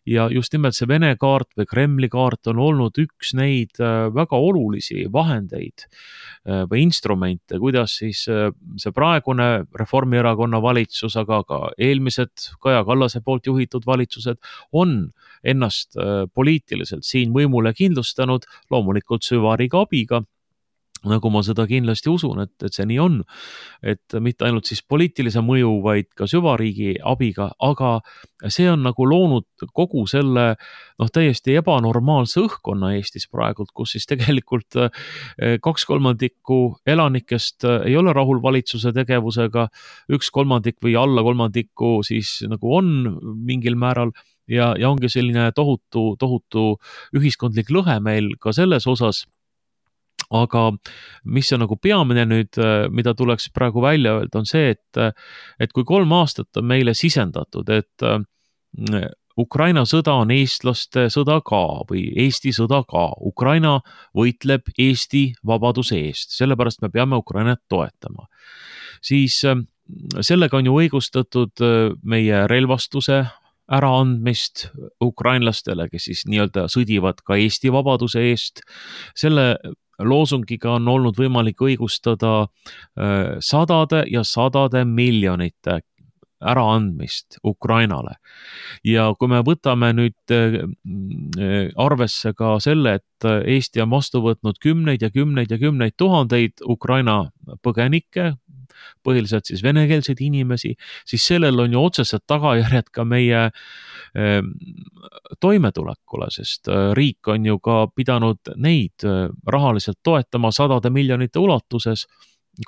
Ja just nimelt see Vene kaart või Kremli kaart on olnud üks neid väga olulisi vahendeid või instrumente, kuidas siis see praegune Reformierakonna valitsus, aga ka eelmised Kaja Kallase poolt juhitud valitsused on ennast poliitiliselt siin võimule kindlustanud, loomulikult süvariigi abiga, nagu ma seda kindlasti usun, et, et see nii on, et mitte ainult siis poliitilise mõju, vaid ka süvariigi abiga, aga see on nagu loonud kogu selle noh, täiesti ebanormaalse õhkkonna Eestis praegult, kus siis tegelikult kaks kolmandikku elanikest ei ole rahul valitsuse tegevusega, üks kolmandik või alla kolmandiku siis nagu on mingil määral ja, ja ongi selline tohutu, tohutu ühiskondlik lõhe meil ka selles osas. Aga mis on nagu peamine nüüd, mida tuleks praegu välja öelda, on see, et, et kui kolm aastat on meile sisendatud, et Ukraina sõda on eestlaste sõda ka või Eesti sõda ka. Ukraina võitleb Eesti vabaduse eest, sellepärast me peame Ukrainat toetama. Siis sellega on ju õigustatud meie relvastuse äraandmist ukrainlastele, kes siis nii-öelda sõdivad ka Eesti vabaduse eest. Selle loosungiga on olnud võimalik õigustada sadade ja sadade miljonite äraandmist Ukrainale. Ja kui me võtame nüüd arvesse ka selle, et Eesti on vastu võtnud kümneid ja kümneid ja kümneid tuhandeid Ukraina põgenikke, põhiliselt siis venekeelseid inimesi, siis sellel on ju otsesed tagajärjed ka meie toimetulekule, sest riik on ju ka pidanud neid rahaliselt toetama sadade miljonite ulatuses.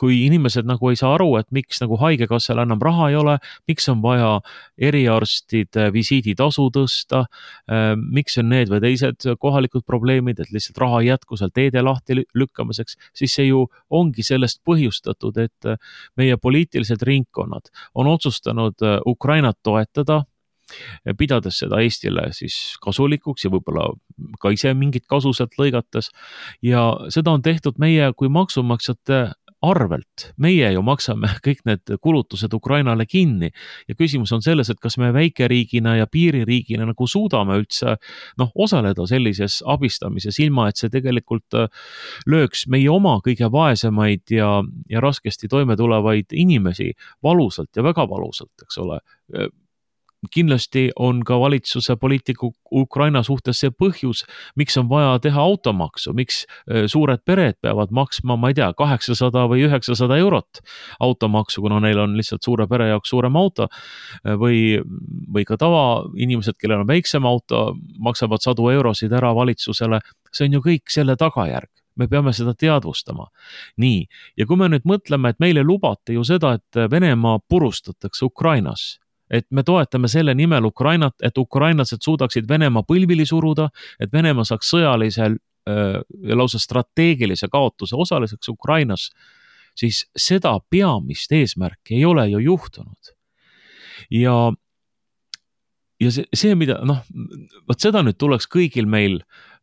Kui inimesed nagu ei saa aru, et miks nagu haigekassal enam raha ei ole, miks on vaja eriarstide visiiditasu tõsta, miks on need või teised kohalikud probleemid, et lihtsalt raha ei jätku seal teede lahti lükkamiseks, siis see ju ongi sellest põhjustatud, et meie poliitilised ringkonnad on otsustanud Ukrainat toetada, pidades seda Eestile siis kasulikuks ja võib-olla ka ise mingit kasu sealt lõigates. Ja seda on tehtud meie kui maksumaksjate arvelt. Meie ju maksame kõik need kulutused Ukrainale kinni ja küsimus on selles, et kas me väikeriigina ja piiririigina nagu suudame üldse noh, osaleda sellises abistamises, ilma et see tegelikult lööks meie oma kõige vaesemaid ja, ja raskesti toime tulevaid inimesi valusalt ja väga valusalt, eks ole. Kindlasti on ka valitsuse poliitiku Ukraina suhtes see põhjus, miks on vaja teha automaksu, miks suured pered peavad maksma, ma ei tea, kaheksasada või üheksasada eurot automaksu, kuna neil on lihtsalt suure pere jaoks suurem auto või, või ka tava inimesed, kellel on väiksem auto, maksavad sadu eurosid ära valitsusele. See on ju kõik selle tagajärg. Me peame seda teadvustama. Nii, ja kui me nüüd mõtleme, et meile lubati ju seda, et Venemaa purustatakse Ukrainas, et me toetame selle nimel Ukrainat, et ukrainlased suudaksid Venemaa põlvili suruda, et Venemaa saaks sõjalisel ja lausa strateegilise kaotuse osaliseks Ukrainas, siis seda peamist eesmärki ei ole ju juhtunud. Ja ja see, see, mida noh, vot seda nüüd tuleks kõigil meil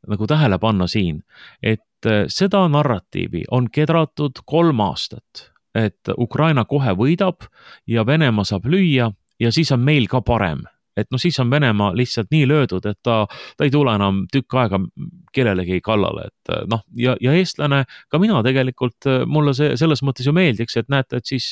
nagu tähele panna siin, et seda narratiivi on kedratud kolm aastat, et Ukraina kohe võidab ja Venemaa saab lüüa ja siis on meil ka parem. Et no siis on Venemaa lihtsalt nii löödud, et ta, ta ei tule enam tükk aega kellelegi kallale, et noh, ja, ja eestlane, ka mina tegelikult, mulle see selles mõttes ju meeldiks, et näete, et siis,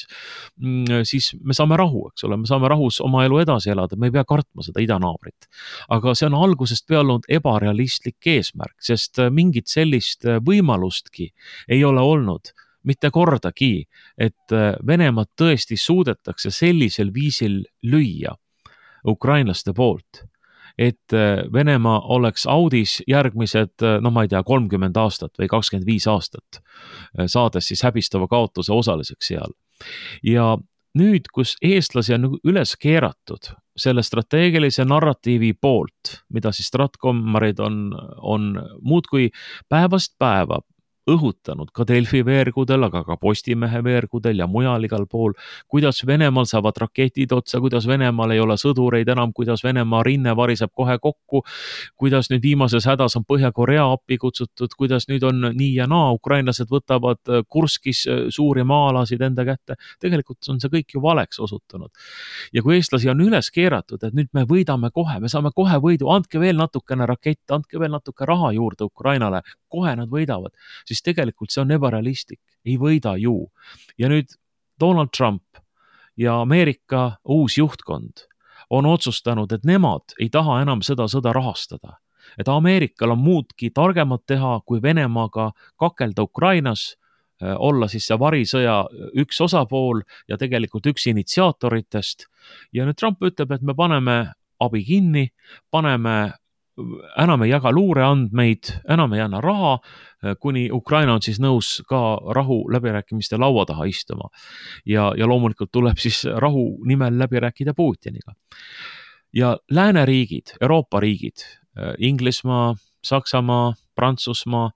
siis me saame rahu, eks ole, me saame rahus oma elu edasi elada, me ei pea kartma seda idanaabrit. Aga see on algusest peale olnud ebarealistlik eesmärk, sest mingit sellist võimalustki ei ole olnud, mitte kordagi, et Venemaad tõesti suudetakse sellisel viisil lüüa ukrainlaste poolt, et Venemaa oleks audis järgmised, no ma ei tea, kolmkümmend aastat või kakskümmend viis aastat, saades siis häbistava kaotuse osaliseks seal. Ja nüüd, kus eestlasi on üles keeratud selle strateegilise narratiivi poolt, mida siis stratkommarid on, on muudkui päevast päeva õhutanud ka Delfi veergudel, aga ka Postimehe veergudel ja mujal igal pool, kuidas Venemaal saavad raketid otsa, kuidas Venemaal ei ole sõdureid enam, kuidas Venemaa rinne variseb kohe kokku, kuidas nüüd viimases hädas on Põhja-Korea appi kutsutud, kuidas nüüd on nii ja naa, ukrainlased võtavad Kurskis suuri maalasid enda kätte. Tegelikult on see kõik ju valeks osutunud. Ja kui eestlasi on üles keeratud, et nüüd me võidame kohe, me saame kohe võidu, andke veel natukene rakett, andke veel natuke raha juurde Ukrainale, kohe nad võidavad, siis tegelikult see on ebarealistlik, ei võida ju. Ja nüüd Donald Trump ja Ameerika uus juhtkond on otsustanud, et nemad ei taha enam seda sõda rahastada. Et Ameerikal on muudki targemat teha, kui Venemaaga kakelda Ukrainas, olla siis see varisõja üks osapool ja tegelikult üks initsiaatoritest. Ja nüüd Trump ütleb, et me paneme abi kinni, paneme enam ei jaga luureandmeid, enam ei anna raha, kuni Ukraina on siis nõus ka rahu läbirääkimiste laua taha istuma. Ja, ja loomulikult tuleb siis rahu nimel läbi rääkida Putiniga. Ja lääneriigid, Euroopa riigid, Inglismaa, Saksamaa, Prantsusmaa,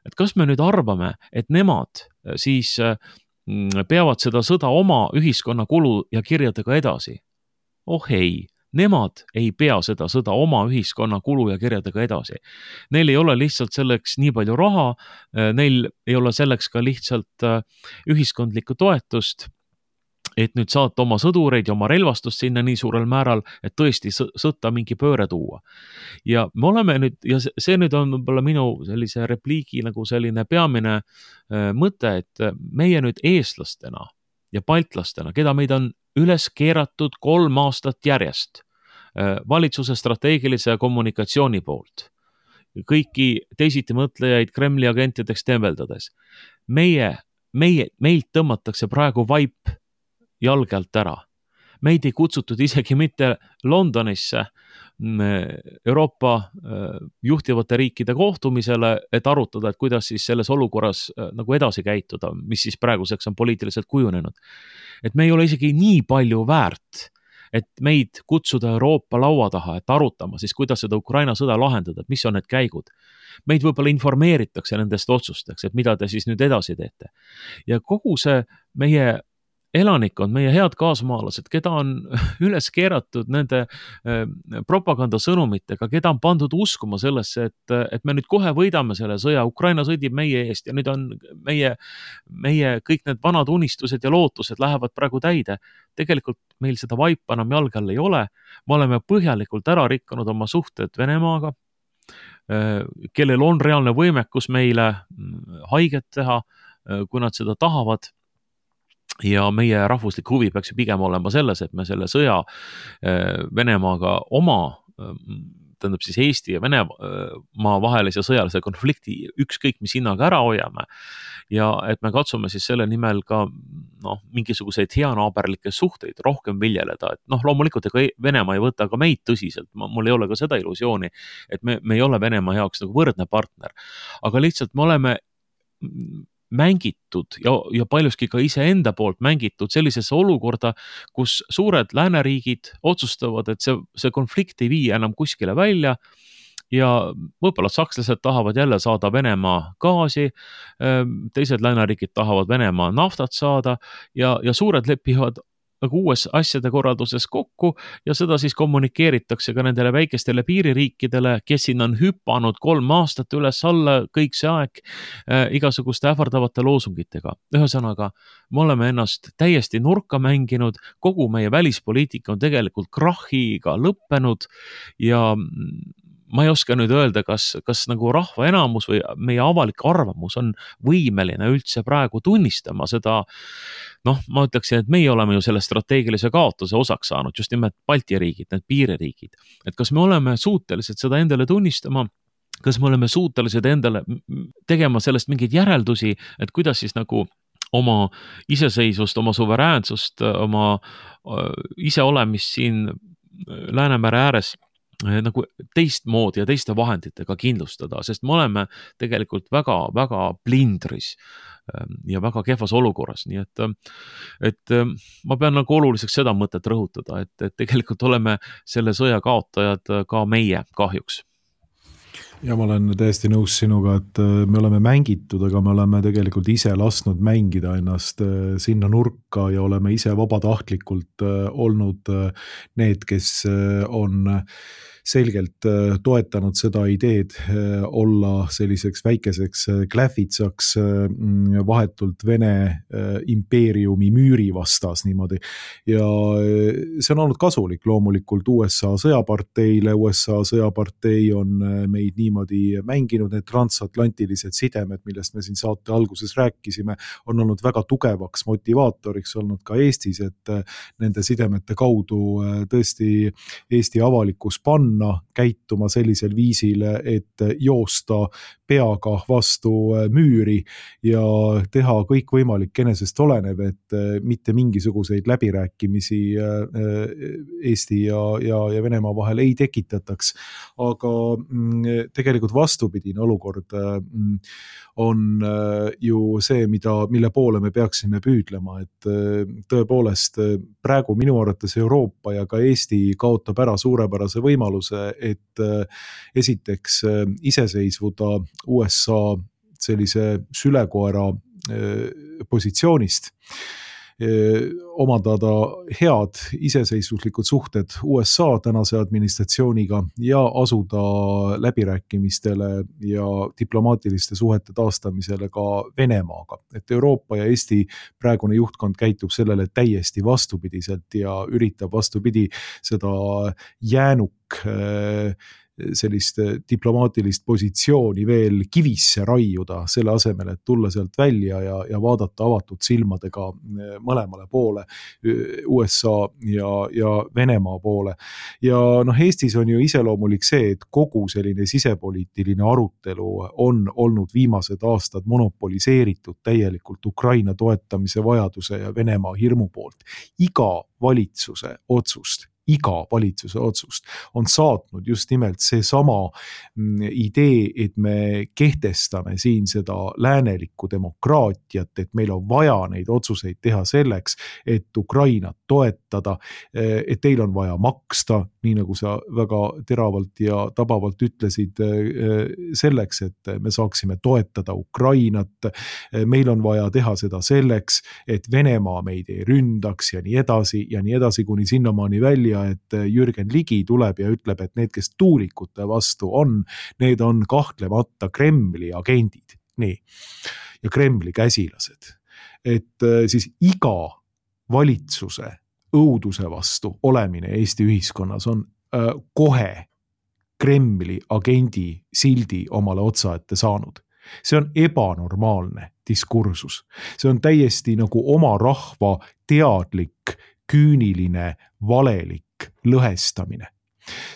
et kas me nüüd arvame, et nemad siis peavad seda sõda oma ühiskonna kulu ja kirjadega edasi? Oh ei. Nemad ei pea seda sõda oma ühiskonna kulu ja kirjadega edasi. Neil ei ole lihtsalt selleks nii palju raha, neil ei ole selleks ka lihtsalt ühiskondlikku toetust, et nüüd saata oma sõdureid ja oma relvastust sinna nii suurel määral, et tõesti sõtta mingi pööre tuua. Ja me oleme nüüd, ja see nüüd on võib-olla minu sellise repliigi nagu selline peamine mõte, et meie nüüd eestlastena ja baltlastena, keda meid on üles keeratud kolm aastat järjest valitsuse strateegilise kommunikatsiooni poolt. Kõiki teisiti mõtlejaid Kremli agentideks tembeldades. Meie, meie, meilt tõmmatakse praegu vaip jalge alt ära. Meid ei kutsutud isegi mitte Londonisse Euroopa juhtivate riikide kohtumisele, et arutada, et kuidas siis selles olukorras nagu edasi käituda, mis siis praeguseks on poliitiliselt kujunenud. Et me ei ole isegi nii palju väärt, et meid kutsuda Euroopa laua taha, et arutama siis, kuidas seda Ukraina sõda lahendada, et mis on need käigud. Meid võib-olla informeeritakse nendest otsusteks, et mida te siis nüüd edasi teete. Ja kogu see meie elanikkond, meie head kaasmaalased, keda on üles keeratud nende propagandasõnumitega, keda on pandud uskuma sellesse, et, et me nüüd kohe võidame selle sõja, Ukraina sõdib meie eest ja nüüd on meie, meie kõik need vanad unistused ja lootused lähevad praegu täide. Tegelikult meil seda vaipa enam jalge all ei ole. Me oleme põhjalikult ära rikkunud oma suhted Venemaaga, kellel on reaalne võimekus meile haiget teha, kui nad seda tahavad. Ja meie rahvuslik huvi peaks ju pigem olema selles, et me selle sõja Venemaaga oma, tähendab siis Eesti ja Venemaa vahelise sõjalise konflikti ükskõik mis hinnaga ära hoiame ja et me katsume siis selle nimel ka noh, mingisuguseid heanaaberlikke suhteid rohkem viljeleda, et noh, loomulikult ega Venemaa ei võta ka meid tõsiselt, mul ei ole ka seda illusiooni, et me, me ei ole Venemaa jaoks nagu võrdne partner, aga lihtsalt me oleme mängitud ja, ja paljuski ka iseenda poolt mängitud sellisesse olukorda, kus suured lääneriigid otsustavad, et see, see konflikt ei vii enam kuskile välja ja võib-olla sakslased tahavad jälle saada Venemaa gaasi, teised lääneriigid tahavad Venemaa naftat saada ja, ja suured lepivad nagu uues asjade korralduses kokku ja seda siis kommunikeeritakse ka nendele väikestele piiririikidele, kes siin on hüpanud kolm aastat üles-alla kõik see aeg äh, igasuguste ähvardavate loosungitega. Ühesõnaga, me oleme ennast täiesti nurka mänginud, kogu meie välispoliitika on tegelikult krahhiga lõppenud ja ma ei oska nüüd öelda, kas, kas nagu rahva enamus või meie avalik arvamus on võimeline üldse praegu tunnistama seda, noh, ma ütleksin, et meie oleme ju selle strateegilise kaotuse osaks saanud, just nimelt Balti riigid, need piiririigid. Et kas me oleme suutelised seda endale tunnistama, kas me oleme suutelised endale tegema sellest mingeid järeldusi, et kuidas siis nagu oma iseseisvust, oma suveräänsust, oma iseolemist siin Läänemere ääres nagu teistmoodi ja teiste vahenditega kindlustada, sest me oleme tegelikult väga, väga blindris ja väga kehvas olukorras, nii et, et ma pean nagu oluliseks seda mõtet rõhutada, et, et tegelikult oleme selle sõja kaotajad ka meie kahjuks. Ja ma olen täiesti nõus sinuga, et me oleme mängitud, aga me oleme tegelikult ise lasknud mängida ennast sinna nurka ja oleme ise vabatahtlikult olnud need, kes on selgelt toetanud seda ideed olla selliseks väikeseks klähvitsaks vahetult Vene impeeriumi müüri vastas niimoodi. Ja see on olnud kasulik loomulikult U S A sõjaparteile. U S A sõjapartei on meid niimoodi mänginud, need transatlantilised sidemed, millest me siin saate alguses rääkisime, on olnud väga tugevaks motivaatoriks olnud ka Eestis, et nende sidemete kaudu tõesti Eesti avalikkus panna käituma sellisel viisil, et joosta peaga vastu müüri ja teha kõik võimalik enesest olenev, et mitte mingisuguseid läbirääkimisi Eesti ja, ja, ja Venemaa vahel ei tekitataks. Aga tegelikult vastupidine olukord on ju see, mida, mille poole me peaksime püüdlema, et tõepoolest praegu minu arvates Euroopa ja ka Eesti kaotab ära suurepärase võimaluse, et esiteks iseseisvuda U S A sellise sülekoera positsioonist, omandada head iseseisvuslikud suhted U S A tänase administratsiooniga ja asuda läbirääkimistele ja diplomaatiliste suhete taastamisele ka Venemaaga. Et Euroopa ja Eesti praegune juhtkond käitub sellele täiesti vastupidiselt ja üritab vastupidi seda jäänuk sellist diplomaatilist positsiooni veel kivisse raiuda, selle asemel, et tulla sealt välja ja, ja vaadata avatud silmadega mõlemale poole, U S A ja, ja Venemaa poole. Ja noh, Eestis on ju iseloomulik see, et kogu selline sisepoliitiline arutelu on olnud viimased aastad monopoliseeritud täielikult Ukraina toetamise vajaduse ja Venemaa hirmu poolt. Iga valitsuse otsust iga valitsuse otsust on saatnud just nimelt see sama idee, et me kehtestame siin seda läänelikku demokraatiat, et meil on vaja neid otsuseid teha selleks, et Ukrainat toetada, et teil on vaja maksta, nii nagu sa väga teravalt ja tabavalt ütlesid, selleks, et me saaksime toetada Ukrainat. Meil on vaja teha seda selleks, et Venemaa meid ei ründaks ja nii edasi ja nii edasi kuni sinnamaani välja, et Jürgen Ligi tuleb ja ütleb, et need, kes tuulikute vastu on, need on kahtlemata Kremli agendid. Nii. Ja Kremli käsilased. Et siis iga valitsuse õuduse vastu olemine Eesti ühiskonnas on kohe Kremli agendi sildi omale otsa ette saanud. See on ebanormaalne diskursus. See on täiesti nagu oma rahva teadlik, küüniline, valelik lõhestamine.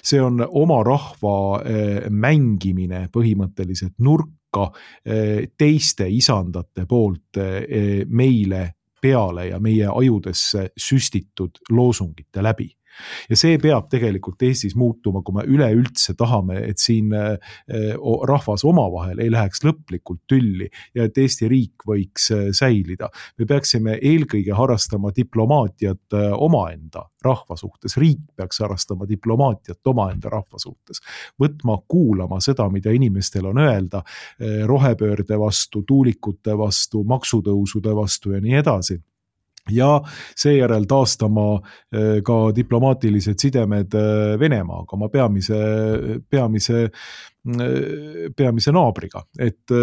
See on oma rahva mängimine põhimõtteliselt nurka teiste isandate poolt meile peale ja meie ajudesse süstitud loosungite läbi. Ja see peab tegelikult Eestis muutuma, kui me üleüldse tahame, et siin rahvas omavahel ei läheks lõplikult tülli ja et Eesti riik võiks säilida. Me peaksime eelkõige harrastama diplomaatiat omaenda rahva suhtes. Riik peaks harrastama diplomaatiat omaenda rahva suhtes. Võtma kuulama seda, mida inimestel on öelda rohepöörde vastu, tuulikute vastu, maksutõusude vastu ja nii edasi. ja seejärel taastama ka diplomaatilised sidemed Venemaaga, oma peamise, peamise, peamise naabriga, et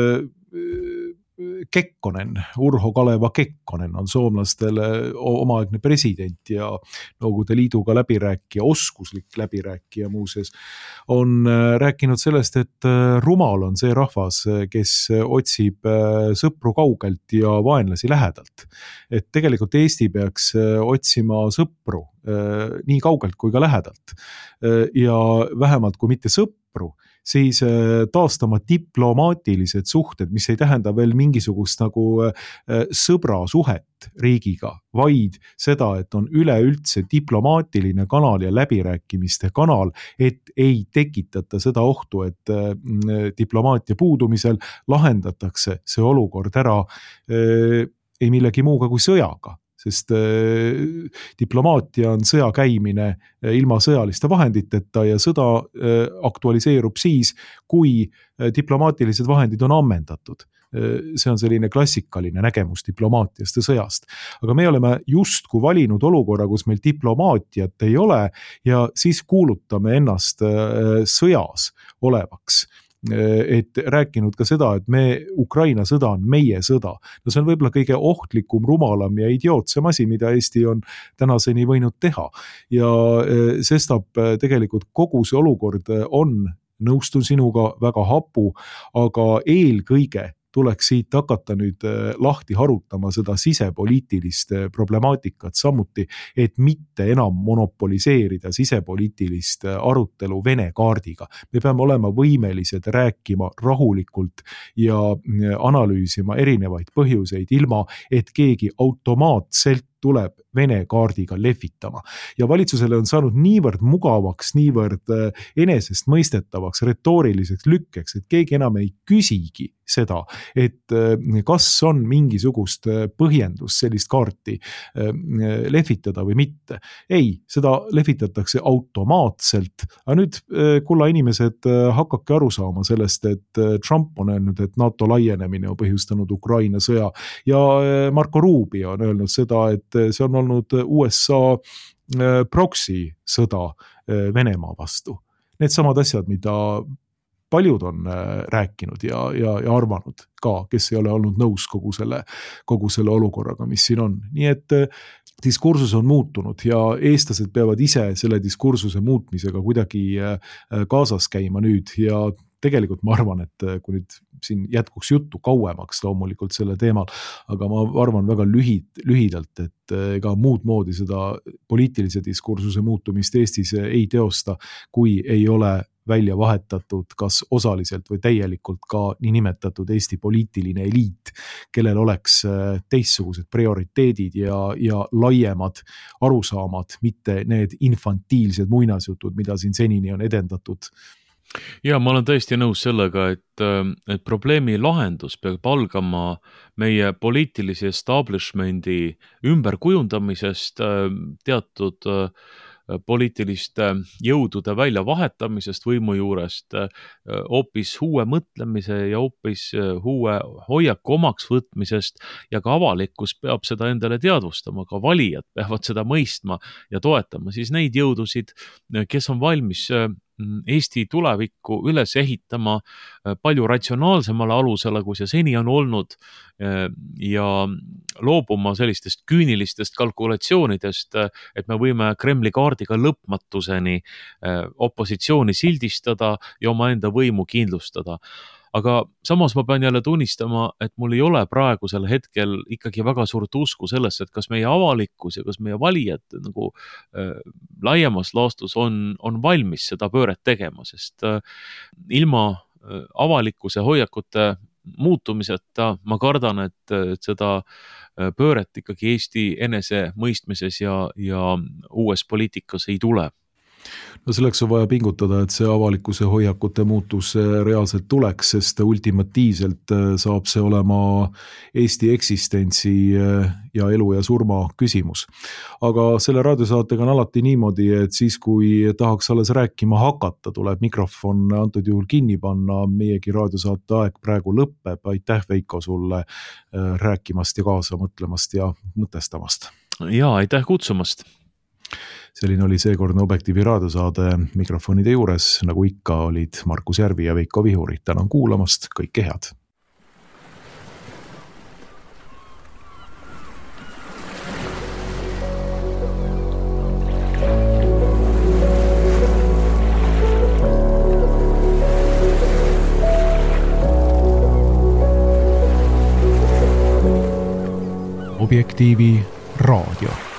Kekkonen, Urho Kaleva Kekkonen on soomlastele omaaegne president ja Nõukogude Liiduga läbirääkija, oskuslik läbirääkija muuseas, on rääkinud sellest, et rumal on see rahvas, kes otsib sõpru kaugelt ja vaenlasi lähedalt. Et tegelikult Eesti peaks otsima sõpru nii kaugelt kui ka lähedalt ja vähemalt kui mitte sõpru, siis taastama diplomaatilised suhted, mis ei tähenda veel mingisugust nagu sõbrasuhet riigiga, vaid seda, et on üleüldse diplomaatiline kanal ja läbirääkimiste kanal, et ei tekitata seda ohtu, et diplomaatia puudumisel lahendatakse see olukord ära ei millegi muuga kui sõjaga. Sest diplomaatia on sõja käimine ilma sõjaliste vahenditeta ja sõda aktualiseerub siis, kui diplomaatilised vahendid on ammendatud. See on selline klassikaline nägemus diplomaatiast ja sõjast. Aga me oleme justkui valinud olukorra, kus meil diplomaatiat ei ole ja siis kuulutame ennast sõjas olevaks. Et rääkinud ka seda, et me, Ukraina sõda on meie sõda. No see on võib-olla kõige ohtlikum, rumalam ja idiootsem asi, mida Eesti on tänaseni võinud teha. Ja sestap tegelikult kogu see olukord on, nõustun sinuga, väga hapu, aga eelkõige tuleks siit hakata nüüd lahti harutama seda sisepoliitilist problemaatikat samuti, et mitte enam monopoliseerida sisepoliitilist arutelu Vene kaardiga. Me peame olema võimelised rääkima rahulikult ja analüüsima erinevaid põhjuseid ilma, et keegi automaatselt tuleb Vene kaardiga lehvitama. Ja valitsusele on saanud niivõrd mugavaks, niivõrd enesest mõistetavaks, retooriliseks lükkeks, et keegi enam ei küsigi seda, et kas on mingisugust põhjendust sellist kaarti lehvitada või mitte. Ei, seda lehvitatakse automaatselt. Aga nüüd, kulla inimesed, hakake aru saama sellest, et Trump on öelnud, et NATO laienemine on põhjustanud Ukraina sõja ja Marco Rubio on öelnud seda, et see on olnud U S A proxy sõda Venemaa vastu. Need samad asjad, mida paljud on rääkinud ja, ja, ja arvanud ka, kes ei ole olnud nõus kogu selle, kogu selle olukorraga, mis siin on. Nii et diskursus on muutunud ja eestlased peavad ise selle diskursuse muutmisega kuidagi kaasas käima nüüd ja tegelikult ma arvan, et kui nüüd siin jätkuks juttu kauemaks loomulikult selle teemal, aga ma arvan väga lühid, lühidalt, et ega muud moodi seda poliitilise diskursuse muutumist Eestis ei teosta, kui ei ole välja vahetatud kas osaliselt või täielikult ka niinimetatud Eesti poliitiline eliit, kellel oleks teistsugused prioriteedid ja, ja laiemad arusaamad, mitte need infantiilsed muinasjutud, mida siin senini on edendatud. Ja ma olen tõesti nõus sellega, et, et probleemi lahendus peab algama meie poliitilise establishmendi ümberkujundamisest, teatud poliitiliste jõudude väljavahetamisest võimu juurest, hoopis uue mõtlemise ja hoopis uue hoiaku omaks võtmisest ja ka avalikkus peab seda endale teadvustama, ka valijad peavad seda mõistma ja toetama siis neid jõudusid, kes on valmis Eesti tulevikku üles ehitama palju ratsionaalsemale alusele, kui see seni on olnud ja loobuma sellistest küünilistest kalkulatsioonidest, et me võime Kremli kaardiga lõpmatuseni opositsiooni sildistada ja oma enda võimu kindlustada. Aga samas ma pean jälle tunnistama, et mul ei ole praegusel hetkel ikkagi väga suurt usku sellesse, et kas meie avalikkus ja kas meie valijad nagu äh, laiemas laastus on, on valmis seda pööret tegema, sest äh, ilma äh, avalikkuse hoiakute muutumiseta ma kardan, et, et seda pööret ikkagi Eesti enese mõistmises ja, ja uues poliitikas ei tule. no selleks on vaja pingutada, et see avalikkuse hoiakute muutus reaalselt tuleks, sest ultimatiivselt saab see olema Eesti eksistentsi ja elu ja surma küsimus. Aga selle raadiosaatega on alati niimoodi, et siis kui tahaks alles rääkima hakata, tuleb mikrofon antud juhul kinni panna, meiegi raadiosaate aeg praegu lõpeb. Aitäh, Veiko, sulle rääkimast ja kaasa mõtlemast ja mõtestamast. Ja, aitäh kutsumast. Selline oli seekordne Objektiivi raadiosaade. Mikrofonide juures, nagu ikka, olid Markus Järvi ja Veiko Vihuri. Tänan kuulamast, kõike head! Objektiivi raadio.